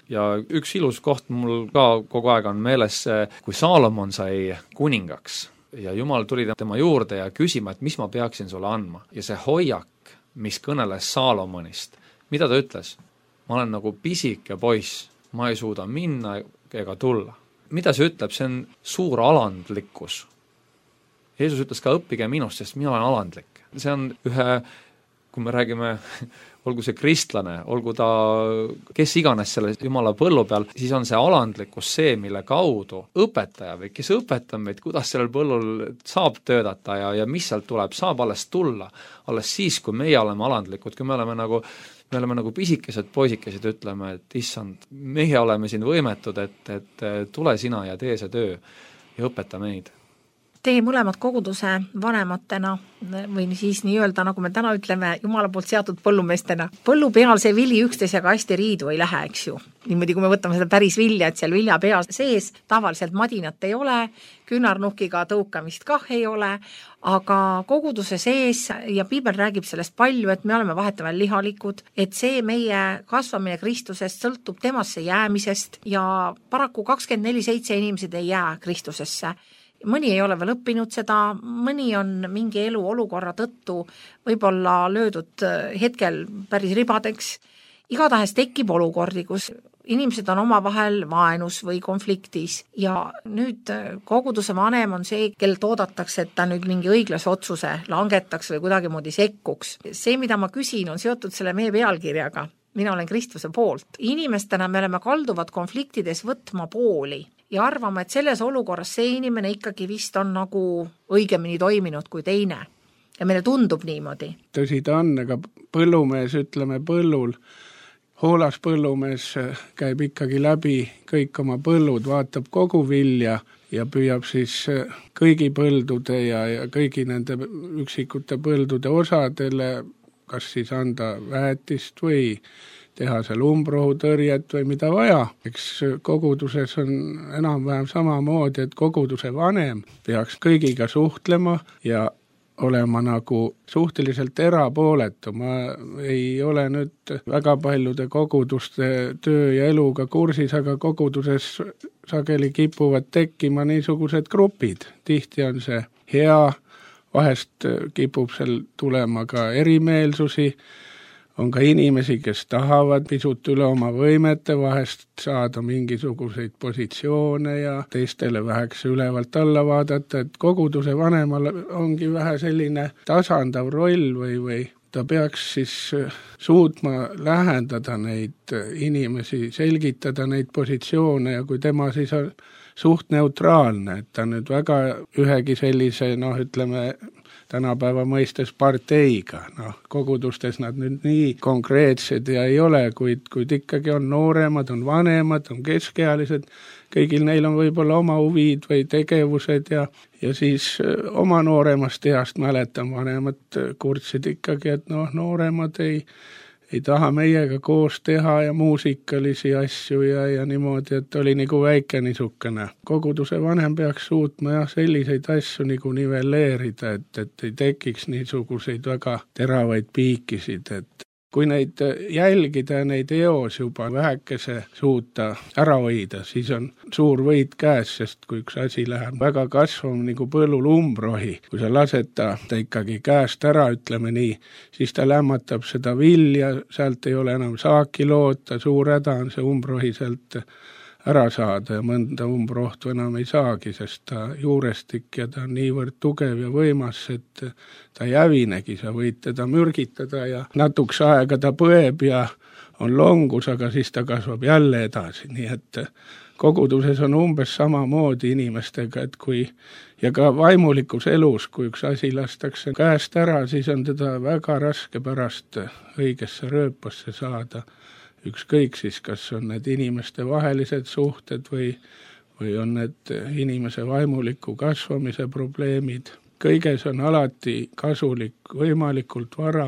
Ja üks ilus koht mul ka kogu aeg on meeles, kui Saalomon sai kuningaks ja Jumal tuli tema juurde ja küsima, et mis ma peaksin sulle andma. Ja see hoiak, mis kõneles Saalomonist, mida ta ütles? Ma olen nagu pisike poiss, ma ei suuda minna ega tulla. Mida see ütleb? See on suur alandlikkus. Jeesus ütles ka, õppige minust, sest mina olen alandlik. See on ühe, kui me räägime, olgu see kristlane, olgu ta kes iganes selle Jumala põllu peal, siis on see alandlikkus see, mille kaudu õpetaja või kes õpetab meid, kuidas sellel põllul saab töödata ja, ja mis sealt tuleb, saab alles tulla. Alles siis, kui meie oleme alandlikud, kui me oleme nagu me oleme nagu pisikesed poisikesed, ütleme, et issand, meie oleme siin võimetud, et, et tule sina ja tee see töö ja õpeta meid. Teie mõlemad koguduse vanematena või siis nii öelda, nagu me täna ütleme, Jumala poolt seatud põllumeestena. Põllu peal see vili üksteisega hästi riidu ei lähe, eks ju. Niimoodi, kui me võtame seda päris vilja, et seal vilja pea sees tavaliselt madinat ei ole, küünarnukiga tõukamist kah ei ole, aga koguduse sees ja piibel räägib sellest palju, et me oleme vahetavahel lihalikud, et see meie kasvamine Kristusest sõltub temasse jäämisest ja paraku kakskümmend neli seitse inimesed ei jää Kristusesse. Mõni ei ole veel õppinud seda, mõni on mingi elu olukorra tõttu võib-olla löödud hetkel päris ribadeks. Igatahes tekib olukordi, kus inimesed on omavahel vaenus või konfliktis ja nüüd koguduse vanem on see, kellelt oodatakse, et ta nüüd mingi õiglase otsuse langetaks või kuidagi moodi sekkuks. See, mida ma küsin, on seotud selle meie pealkirjaga. Mina olen Kristuse poolt. Inimestena me oleme kalduvad konfliktides võtma pooli ja arvama, et selles olukorras see inimene ikkagi vist on nagu õigemini toiminud kui teine. Ja meile tundub niimoodi. Tõsi ta on, aga põllumees, ütleme põllul, hoolas põllumees käib ikkagi läbi kõik oma põllud, vaatab kogu vilja ja püüab siis kõigi põldude ja, ja kõigi nende üksikute põldude osadele kas siis anda väetist või teha seal umbrohutõrjet või mida vaja. Eks koguduses on enam-vähem samamoodi, et koguduse vanem peaks kõigiga suhtlema ja olema nagu suhteliselt erapooletu. Ma ei ole nüüd väga paljude koguduste töö ja eluga kursis, aga koguduses sageli kipuvad tekkima niisugused grupid. Tihti on see hea, vahest kipub seal tulema ka erimeelsusi, on ka inimesi, kes tahavad pisut üle oma võimete vahest saada mingisuguseid positsioone ja teistele väheks ülevalt alla vaadata, et koguduse vanemal ongi vähe selline tasandav roll või, või ta peaks siis suutma lähendada neid inimesi, selgitada neid positsioone ja kui tema siis on suht neutraalne, et ta nüüd väga ühegi sellise, noh ütleme, tänapäeva mõistes parteiga, noh, kogudustes nad nüüd nii konkreetsed ja ei ole, kuid, kuid ikkagi on nooremad, on vanemad, on keskealised, kõigil neil on võib-olla oma huvid või tegevused ja, ja siis oma nooremast east mäletan, vanemad kurtsid ikkagi, et noh, nooremad ei ei taha meiega koos teha ja muusikalisi asju ja, ja niimoodi, et oli nagu väike niisugune. Koguduse vanem peaks suutma jah, selliseid asju nagu nivelleerida, et, et ei tekiks niisuguseid väga teravaid piikisid, et kui neid jälgida ja neid eos juba vähekese suuta ära hoida, siis on suur võit käes, sest kui üks asi läheb väga kasvama nagu põllul umbrohi, kui sa lased ta, ta ikkagi käest ära, ütleme nii, siis ta lämmatab seda vilja, sealt ei ole enam saaki loota, suur häda on see umbrohi sealt ära saada ja mõnda umbrohtu enam ei saagi, sest ta juurestik ja ta on niivõrd tugev ja võimas, et ta ei hävinegi, sa võid teda mürgitada ja natuks aega ta põeb ja on longus, aga siis ta kasvab jälle edasi, nii et koguduses on umbes samamoodi inimestega, et kui ja ka vaimulikus elus, kui üks asi lastakse käest ära, siis on teda väga raske pärast õigesse rööpasse saada. Ükskõik siis, kas on need inimeste vahelised suhted või, või on need inimese vaimuliku kasvamise probleemid. Kõiges on alati kasulik võimalikult vara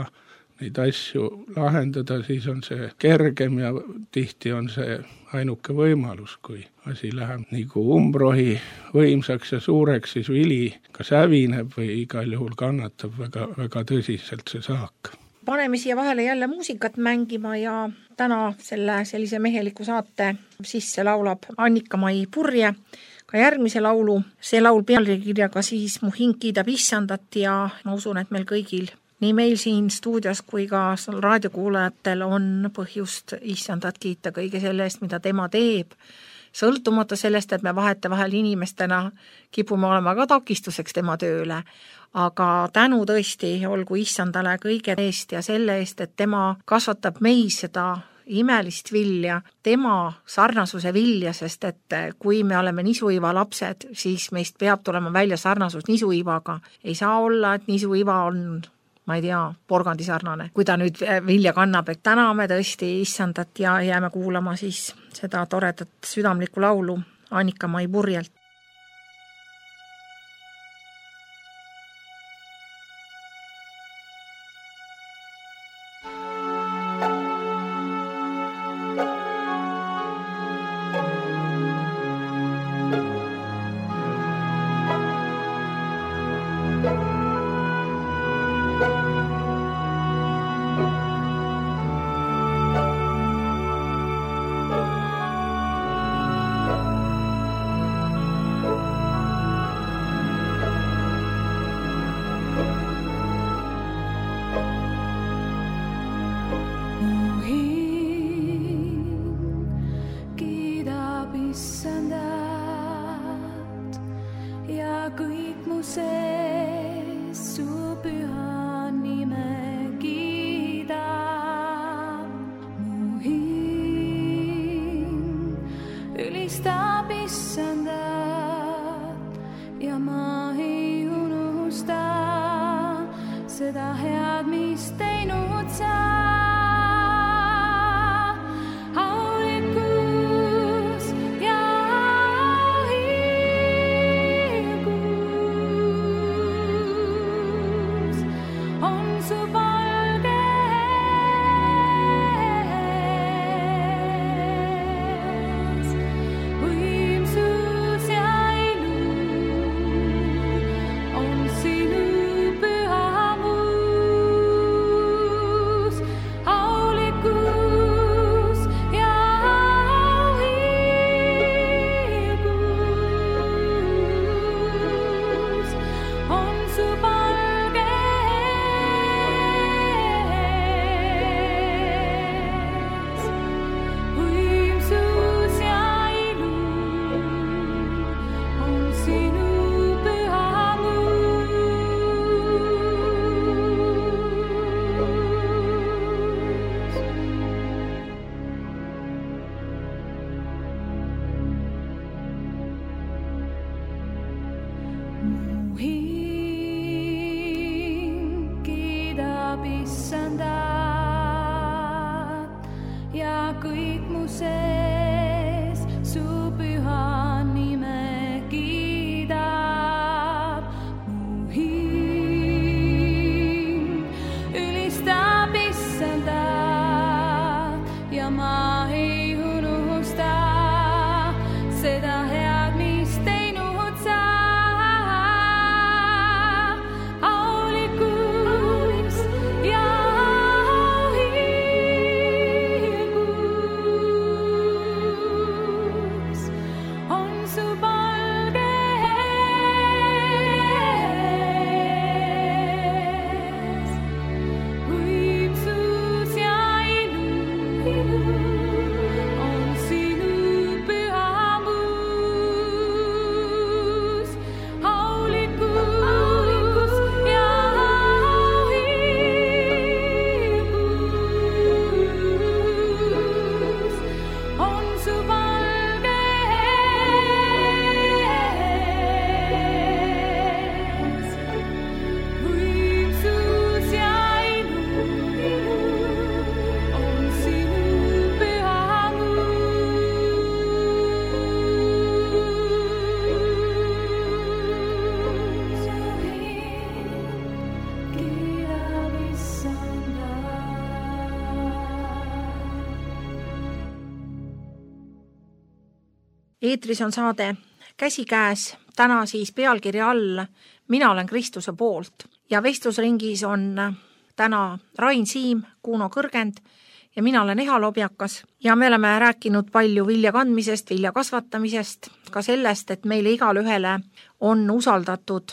neid asju lahendada, siis on see kergem ja tihti on see ainuke võimalus, kui asi läheb nagu umbrohi võimsaks ja suureks, siis vili kas hävineb või igal juhul kannatab väga, väga tõsiselt see saak. Paneme siia vahele jälle muusikat mängima ja täna selle sellise meheliku saate sisse laulab Annika-Mai Purje ka järgmise laulu. See laul pealkirjaga siis Mu hing kiidab issandat ja ma usun, et meil kõigil, nii meil siin stuudios kui ka raadiokuulajatel on põhjust issandat kiita kõige selle eest, mida tema teeb. Sõltumata sellest, et me vahete vahel inimestena kipume olema ka takistuseks tema tööle, aga tänu tõesti olgu issandale kõige eest ja selle eest, et tema kasvatab meis seda imelist vilja, tema sarnasuse vilja, sest et kui me oleme nisuiva lapsed, siis meist peab tulema välja sarnasus nisuivaga. Ei saa olla, et nisuiva on, ma ei tea, porgandi sarnane, kui ta nüüd vilja kannab, et täname tõesti issandat ja jääme kuulama siis seda toredat südamlikku laulu Annika-Mai Purjelt. Sinu issandat ja kõik mu sees su püha nime kiidab. Mu hing ülistab issandat ja ma ei unusta seda head, mis teinud sa. Aulikus ja auhilgus on su palge ees. Võimsus ja ilu on sinu pühamus. Aulikus ja auhilgus on su palge ees. Võimsus ja ilu on sinu pühamus. Su hing kiidab issandat. Eetris on saade Käsikäes, täna siis pealkirja all Mina olen Kristuse poolt ja vestlusringis on täna Rain Siim, Kuno Kõrgend ja mina olen Eha Lobjakas ja me oleme rääkinud palju vilja kandmisest, vilja kasvatamisest, ka sellest, et meile igale ühele on usaldatud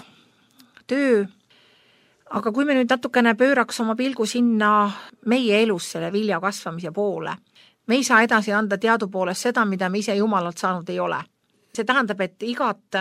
töö. Aga kui me nüüd natukene pööraks oma pilgu sinna meie elus selle vilja kasvamise poole, me ei saa edasi anda teadupoolest seda, mida me ise Jumalalt saanud ei ole. See tähendab, et igat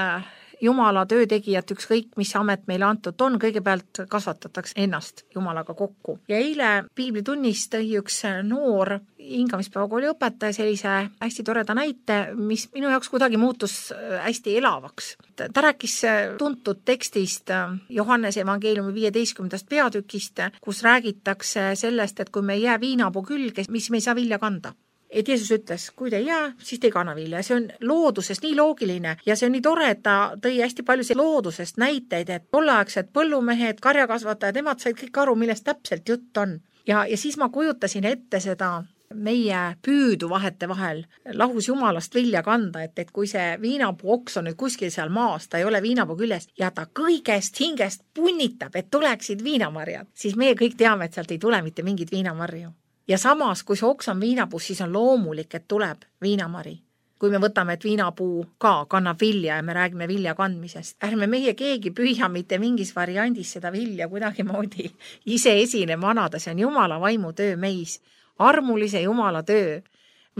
Jumala töötegijat, ükskõik mis amet meile antud on, kõigepealt kasvatatakse ennast Jumalaga kokku. Ja eile piiblitunnis tõi üks noor hingamispäevakooli õpetaja sellise hästi toreda näite, mis minu jaoks kuidagi muutus hästi elavaks. Ta rääkis tuntud tekstist Johannese evangeeliumi viieteistkümnendast peatükist, kus räägitakse sellest, et kui me ei jää viinapuu külge, mis me ei saa vilja kanda. Et Jeesus ütles, kui te ei jää, siis te ei kanna vilja. See on loodusest nii loogiline ja see on nii tore, et ta tõi hästi palju loodusest näiteid, et tolleaegsed põllumehed, karjakasvatajad, nemad said kõik aru, millest täpselt jutt on. Ja, ja siis ma kujutasin ette seda meie püüdu vahete vahel lahus Jumalast vilja kanda, et, et kui see viinapuu oks on nüüd kuskil seal maas, ta ei ole viinapuu küljest ja ta kõigest hingest punnitab, et tuleksid viinamarjad, siis meie kõik teame, et sealt ei tule mitte mingit viinamarju. Ja samas, kui see oks on viinapuus, siis on loomulik, et tuleb viinamari. Kui me võtame, et viinapuu ka kannab vilja ja me räägime vilja kandmisest, ärme meie keegi püüa mitte mingis variandis seda vilja kuidagi moodi ise esinema anada, see on Jumala vaimu töö meis, armulise Jumala töö,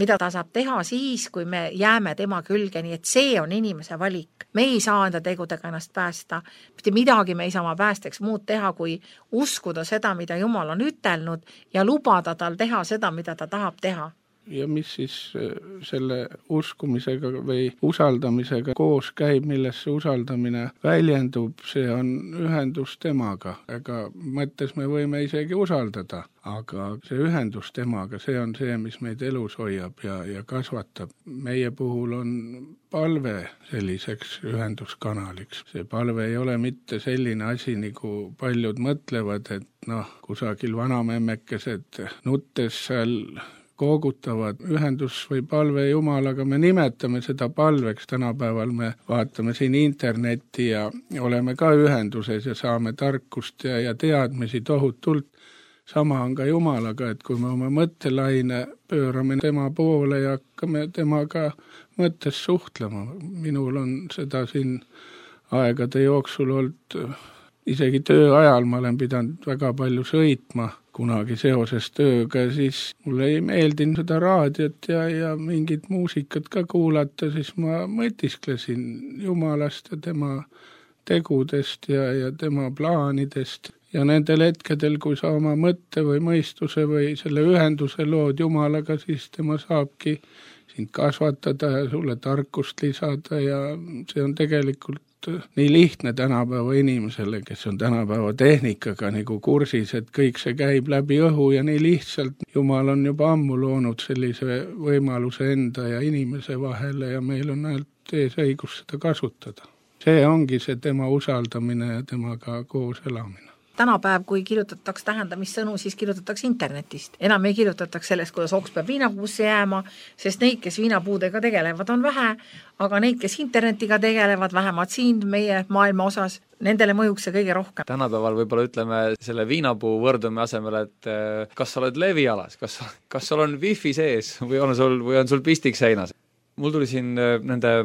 mida ta saab teha siis, kui me jääme tema külge, nii et see on inimese valik. Me ei saa enda tegudega ennast päästa, mitte midagi me ei saa oma päästeks muud teha, kui uskuda seda, mida Jumal on ütelnud ja lubada tal teha seda, mida ta tahab teha. Ja mis siis selle uskumisega või usaldamisega koos käib, milles see usaldamine väljendub, see on ühendus temaga. Ega mõttes me võime isegi usaldada, aga see ühendus temaga, see on see, mis meid elus hoiab ja, ja kasvatab. Meie puhul on palve selliseks ühenduskanaliks. See palve ei ole mitte selline asi, nagu paljud mõtlevad, et noh, kusagil vanamemmekesed nuttes seal koogutavad ühendus või palve Jumalaga, me nimetame seda palveks, tänapäeval me vaatame siin internetti ja oleme ka ühenduses ja saame tarkust ja, ja teadmisi tohutult. Sama on ka Jumalaga, et kui me oma mõttelaine pöörame tema poole ja hakkame temaga mõttes suhtlema. Minul on seda siin aegade jooksul olnud, isegi töö ajal ma olen pidanud väga palju sõitma, kunagi seoses tööga, siis mulle ei meeldinud seda raadiot ja, ja mingit muusikat ka kuulata, siis ma mõtisklesin Jumalast ja tema tegudest ja, ja tema plaanidest. Ja nendel hetkedel, kui sa oma mõtte või mõistuse või selle ühenduse lood Jumalaga, siis tema saabki sind kasvatada ja sulle tarkust lisada ja see on tegelikult nii lihtne tänapäeva inimesele, kes on tänapäeva tehnikaga nagu kursis, et kõik see käib läbi õhu ja nii lihtsalt. Jumal on juba ammu loonud sellise võimaluse enda ja inimese vahele ja meil on ainult ees õigus seda kasutada. See ongi see tema usaldamine ja temaga koos elamine. Tänapäev, kui kirjutatakse tähendamissõnu, siis kirjutatakse internetist. Enam ei kirjutatakse sellest, kuidas oks peab viinapuusse jääma, sest neid, kes viinapuudega tegelevad, on vähe, aga neid, kes internetiga tegelevad, vähemalt siin meie maailma osas, nendele mõjuks see kõige rohkem. Tänapäeval võib-olla ütleme selle viinapuu võrdumi asemel, et kas sa oled levialas, kas, kas sul on wifi sees või on sul, või on sul pistik seinas. Mul tuli siin nende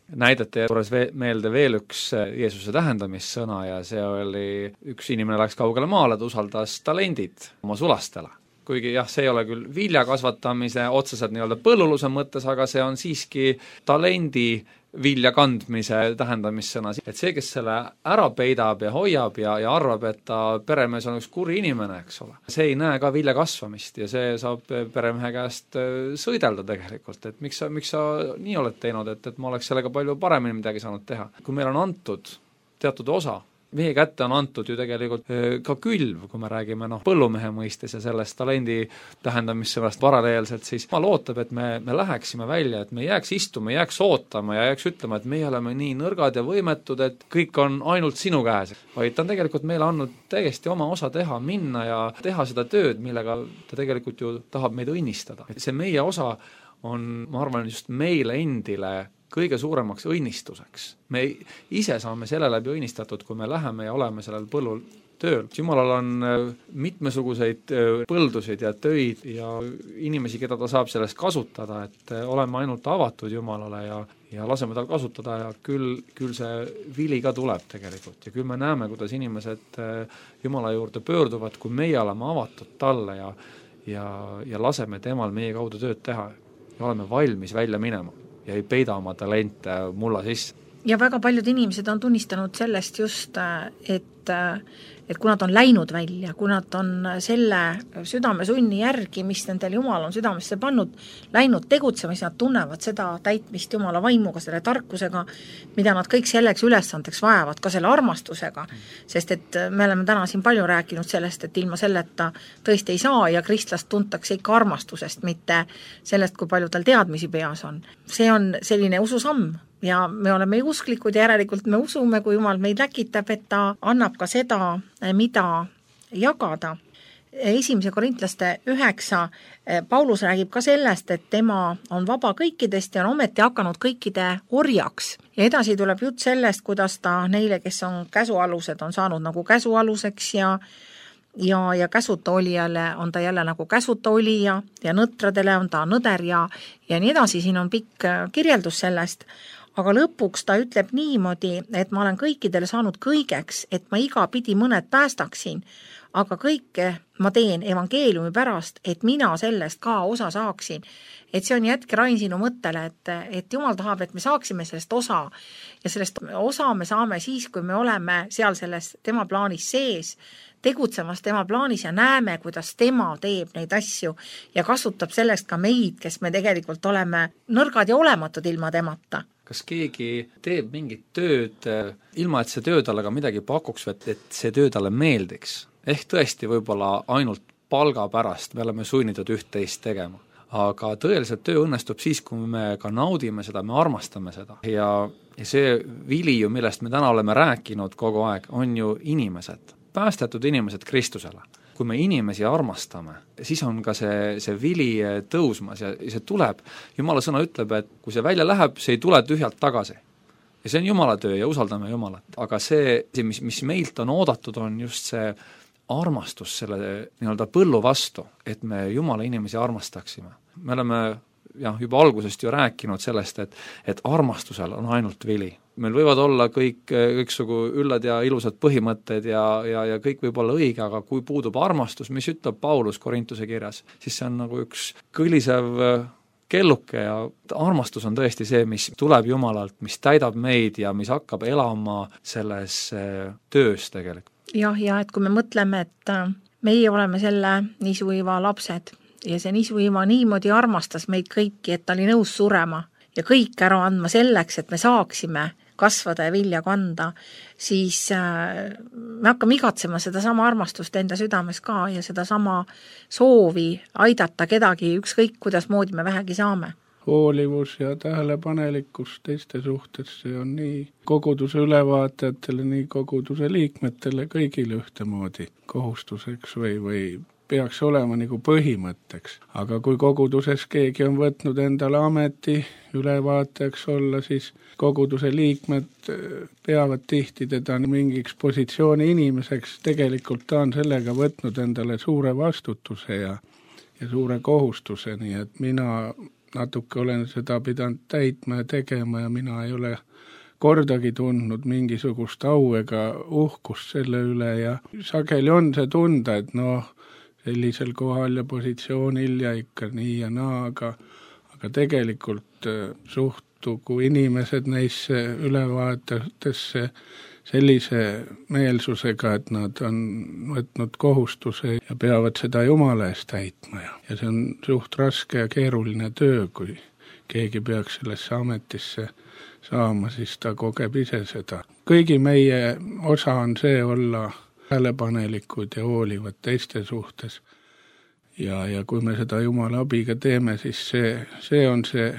näidete juures meelde veel üks Jeesuse tähendamissõna ja see oli, üks inimene läks kaugele maale, ta usaldas talendid oma sulastele. Kuigi jah, see ei ole küll vilja kasvatamise otseselt nii-öelda põlluluse mõttes, aga see on siiski talendi vilja kandmise tähendamissõna. Et see, kes selle ära peidab ja hoiab ja, ja arvab, et ta peremees on üks kuri inimene, eks ole, see ei näe ka vilja kasvamist ja see saab peremehe käest sõidelda tegelikult, et miks sa, miks sa nii oled teinud, et, et ma oleks sellega palju paremini midagi saanud teha. Kui meil on antud teatud osa, meie kätte on antud ju tegelikult ka külv, kui me räägime noh, põllumehe mõistes ja sellest talendi tähendamissõnast paralleelselt, siis ma lootab, et me, me läheksime välja, et me jääks istuma, jääks ootama ja jääks ütlema, et meie oleme nii nõrgad ja võimetud, et kõik on ainult sinu käes. Vaid ta on tegelikult meile andnud täiesti oma osa teha, minna ja teha seda tööd, millega ta tegelikult ju tahab meid õnnistada. Et see meie osa on, ma arvan, just meile endile kõige suuremaks õnnistuseks. Me ise saame selle läbi õnnistatud, kui me läheme ja oleme sellel põllul tööl. Jumalal on mitmesuguseid põldusid ja töid ja inimesi, keda ta saab sellest kasutada, et oleme ainult avatud Jumalale ja, ja laseme tal kasutada ja küll, küll see vili ka tuleb tegelikult. Ja küll me näeme, kuidas inimesed Jumala juurde pöörduvad, kui meie oleme avatud talle ja, ja, ja laseme temal meie kaudu tööd teha ja oleme valmis välja minema ja ei peida oma talente mulla sisse. Ja väga paljud inimesed on tunnistanud sellest just, et, et kui nad on läinud välja, kui nad on selle südamesunni järgi, mis nendel Jumal on südamesse pannud, läinud tegutsema, siis nad tunnevad seda täitmist Jumala vaimuga, selle tarkusega, mida nad kõik selleks ülesandeks vajavad, ka selle armastusega, sest et me oleme täna siin palju rääkinud sellest, et ilma selleta tõesti ei saa ja kristlast tuntakse ikka armastusest, mitte sellest, kui palju tal teadmisi peas on. See on selline ususamm, ja me oleme usklikud ja järelikult me usume, kui Jumal meid läkitab, et ta annab ka seda, mida jagada. Esimese korintlaste üheksa, Paulus räägib ka sellest, et tema on vaba kõikidest ja on ometi hakanud kõikide orjaks. Ja edasi tuleb jutt sellest, kuidas ta neile, kes on käsualused, on saanud nagu käsualuseks ja ja, ja käsuta olijale on ta jälle nagu käsuta olija ja nõtradele on ta nõder ja, ja nii edasi, siin on pikk kirjeldus sellest. Aga lõpuks ta ütleb niimoodi, et ma olen kõikidele saanud kõigeks, et ma iga pidi mõned päästaksin, aga kõike ma teen evangeeliumi pärast, et mina sellest ka osa saaksin. Et see on jätke Rain sinu mõttele, et, et Jumal tahab, et me saaksime sellest osa ja sellest osa me saame siis, kui me oleme seal selles tema plaanis sees, tegutsemas tema plaanis ja näeme, kuidas tema teeb neid asju ja kasutab sellest ka meid, kes me tegelikult oleme nõrgad ja olematud ilma temata. Kas keegi teeb mingit tööd, ilma et see töö talle ka midagi pakuks, et, et see töö talle meeldiks? Ehk tõesti võib-olla ainult palga pärast me oleme sunnitud üht-teist tegema. Aga tõeliselt töö õnnestub siis, kui me ka naudime seda, me armastame seda. Ja, ja see vili ju, millest me täna oleme rääkinud kogu aeg, on ju inimesed. Päästetud inimesed Kristusele. Kui me inimesi armastame, siis on ka see, see vili tõusmas ja see tuleb. Jumala sõna ütleb, et kui see välja läheb, see ei tule tühjalt tagasi. Ja see on Jumala töö ja usaldame Jumalat. Aga see, mis, mis meilt on oodatud, on just see armastus selle nii-öelda põllu vastu, et me Jumala inimesi armastaksime. Me oleme jah, juba algusest ju rääkinud sellest, et, et armastusel on ainult vili. Meil võivad olla kõik, kõiksugu üllad ja ilusad põhimõtted ja, ja, ja kõik võib olla õige, aga kui puudub armastus, mis ütleb Paulus Korintuse kirjas, siis see on nagu üks kõlisev kelluke ja armastus on tõesti see, mis tuleb Jumalalt, mis täidab meid ja mis hakkab elama selles töös tegelikult. Jah, ja et kui me mõtleme, et meie oleme selle niisuiva lapsed ja see niisuiva niimoodi armastas meid kõiki, et ta oli nõus surema ja kõik ära andma selleks, et me saaksime kasvada ja vilja kanda, siis me hakkame igatsema seda sama armastust enda südames ka ja seda sama soovi aidata kedagi ükskõik, kuidas moodi me vähegi saame. Hoolivus ja tähelepanelikkus teiste suhtes, see on nii koguduse ülevaatajatele, nii koguduse liikmetele kõigile ühtemoodi kohustuseks või, või peaks olema nagu põhimõtteks. Aga kui koguduses keegi on võtnud endale ameti ülevaatajaks olla, siis koguduse liikmed peavad tihti teda mingiks positsiooni inimeseks. Tegelikult ta on sellega võtnud endale suure vastutuse ja, ja suure kohustuse, nii et mina natuke olen seda pidanud täitma ja tegema ja mina ei ole kordagi tundnud mingisugust au ega uhkust selle üle ja sageli on see tunda, et noh, sellisel kohal ja positsioonil ja ikka nii ja naa, aga, aga tegelikult suhtugu inimesed neisse ülevaatajatesse sellise meelsusega, et nad on võtnud kohustuse ja peavad seda Jumala eest täitma. Ja see on suht raske ja keeruline töö, kui keegi peaks sellesse ametisse saama, siis ta kogeb ise seda. Kõigi meie osa on see olla tähelepanelikud ja hoolivad teiste suhtes. Ja, ja kui me seda Jumala abiga teeme, siis see, see on see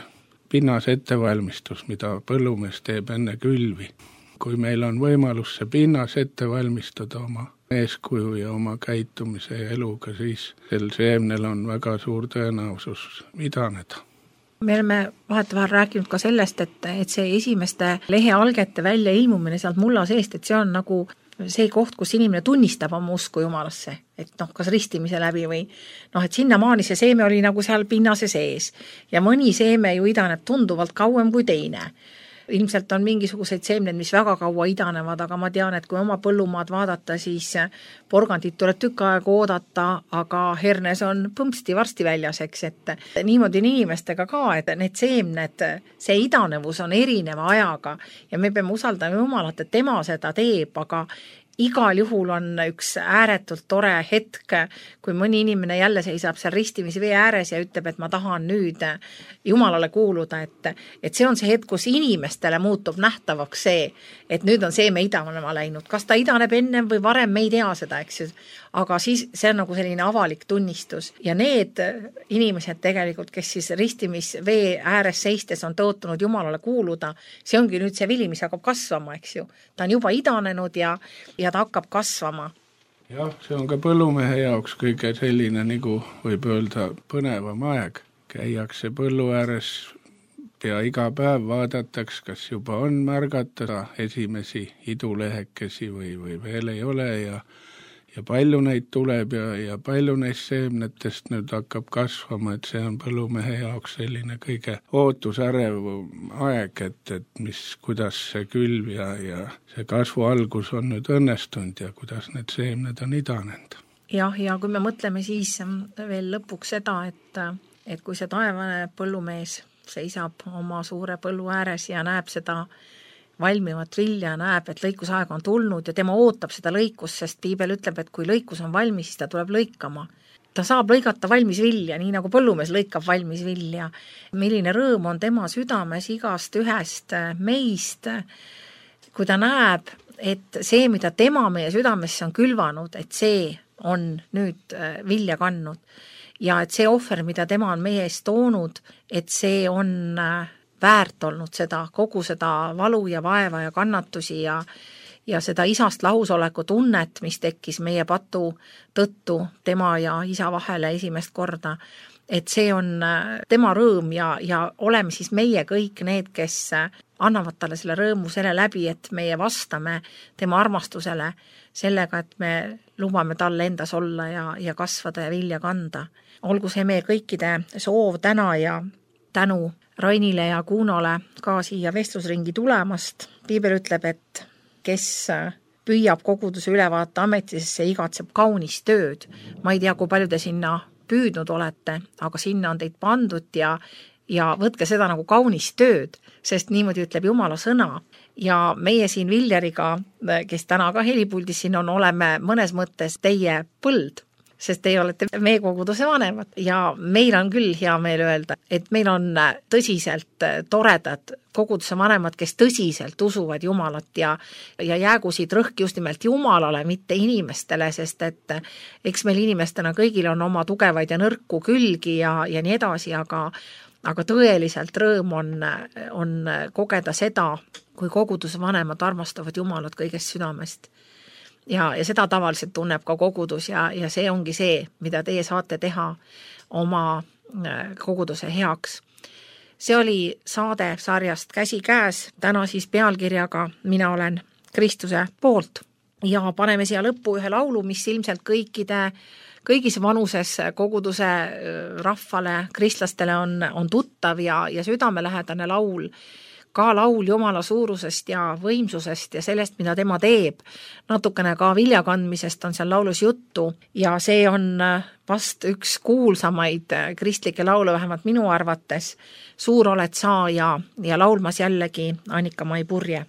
pinnas ettevalmistus, mida põllumees teeb enne külvi. Kui meil on võimalus see pinnas ette valmistada oma eeskuju ja oma käitumise ja eluga, siis sel seemnel on väga suur tõenäosus idaneda. Me oleme vahetevahel rääkinud ka sellest, et, et see esimeste lehealgete välja ilmumine sealt mulla seest, et see on nagu see koht, kus inimene tunnistab oma usku Jumalasse, et noh, kas ristimise läbi või noh, et sinnamaani see seeme oli nagu seal pinnase sees ja mõni seeme ju idaneb tunduvalt kauem kui teine. Ilmselt on mingisuguseid seemned, mis väga kaua idanevad, aga ma tean, et kui oma põllumaad vaadata, siis porgandit tuleb tükk aega oodata, aga hernes on põmpsti varsti väljas, eks, et niimoodi on inimestega ka, et need seemned, see idanevus on erineva ajaga ja me peame usaldama Jumalat, et tema seda teeb, aga igal juhul on üks ääretult tore hetk, kui mõni inimene jälle seisab seal ristimisvee ääres ja ütleb, et ma tahan nüüd Jumalale kuuluda, et, et see on see hetk, kus inimestele muutub nähtavaks see, et nüüd on seeme idanema läinud. Kas ta idaneb ennem või varem, me ei tea seda, eks ju. Aga siis see on nagu selline avalik tunnistus ja need inimesed tegelikult, kes siis ristimisvee ääres seistes on tõotunud Jumalale kuuluda, see ongi nüüd see vili, mis hakkab kasvama, eks ju. Ta on juba idanenud ja, ja ta hakkab kasvama. Jah, see on ka põllumehe jaoks kõige selline, nagu võib öelda, põnevam aeg. Käiakse põllu ääres ja iga päev vaadatakse, kas juba on märgata esimesi idulehekesi või, või veel ei ole ja ja palju neid tuleb ja, ja palju neist seemnetest nüüd hakkab kasvama, et see on põllumehe jaoks selline kõige ootusärev aeg, et, et mis, kuidas see külv ja, ja see kasvu algus on nüüd õnnestunud ja kuidas need seemned on idanenud. Jah, ja kui me mõtleme siis veel lõpuks seda, et, et kui see taevane põllumees seisab oma suure põllu ääres ja näeb seda valmivat vilja, näeb, et lõikusaeg on tulnud ja tema ootab seda lõikust, sest Piibel ütleb, et kui lõikus on valmis, siis ta tuleb lõikama. Ta saab lõigata valmis vilja, nii nagu põllumees lõikab valmis vilja. Milline rõõm on tema südames igast ühest meist, kui ta näeb, et see, mida tema meie südamesse on külvanud, et see on nüüd vilja kandnud ja et see ohver, mida tema on meie eest toonud, et see on väärt olnud seda, kogu seda valu ja vaeva ja kannatusi ja, ja seda isast lahusoleku tunnet, mis tekkis meie patu tõttu tema ja isa vahele esimest korda, et see on tema rõõm ja, ja oleme siis meie kõik need, kes annavad talle selle rõõmu selle läbi, et meie vastame tema armastusele sellega, et me lubame talle endas olla ja, ja kasvada ja vilja kanda. Olgu see meie kõikide soov täna ja tänu Rainile ja Kuunole ka siia vestlusringi tulemast. Piibel ütleb, et kes püüab koguduse ülevaate ametisse, igatseb kaunist tööd. Ma ei tea, kui palju te sinna püüdnud olete, aga sinna on teid pandud ja, ja võtke seda nagu kaunist tööd, sest niimoodi ütleb Jumala sõna. Ja meie siin Viljariga, kes täna ka helipuldis siin on, oleme mõnes mõttes teie põld. sest teie olete meie koguduse vanemad ja meil on küll hea meel öelda, et meil on tõsiselt toredad koguduse vanemad, kes tõsiselt usuvad Jumalat ja, ja jäägu siit rõhk just nimelt Jumalale, mitte inimestele, sest et eks meil inimestena kõigil on oma tugevaid ja nõrku külgi ja, ja nii edasi, aga aga tõeliselt rõõm on, on kogeda seda, kui koguduse vanemad armastavad Jumalat kõigest südamest. Ja, ja seda tavaliselt tunneb ka kogudus ja, ja see ongi see, mida teie saate teha oma koguduse heaks. See oli saade sarjast Käsi käes, täna siis pealkirjaga Mina olen Kristuse poolt ja paneme siia lõppu ühe laulu, mis ilmselt kõikide kõigis vanuses koguduse rahvale, kristlastele on, on tuttav ja, ja südamelähedane laul, ka laul Jumala suurusest ja võimsusest ja sellest, mida tema teeb. Natukene ka viljakandmisest on seal laulus juttu ja see on vast üks kuulsamaid kristlikke laule, vähemalt minu arvates. Suur oled sa ja, ja laulmas jällegi Annika Mai Purje.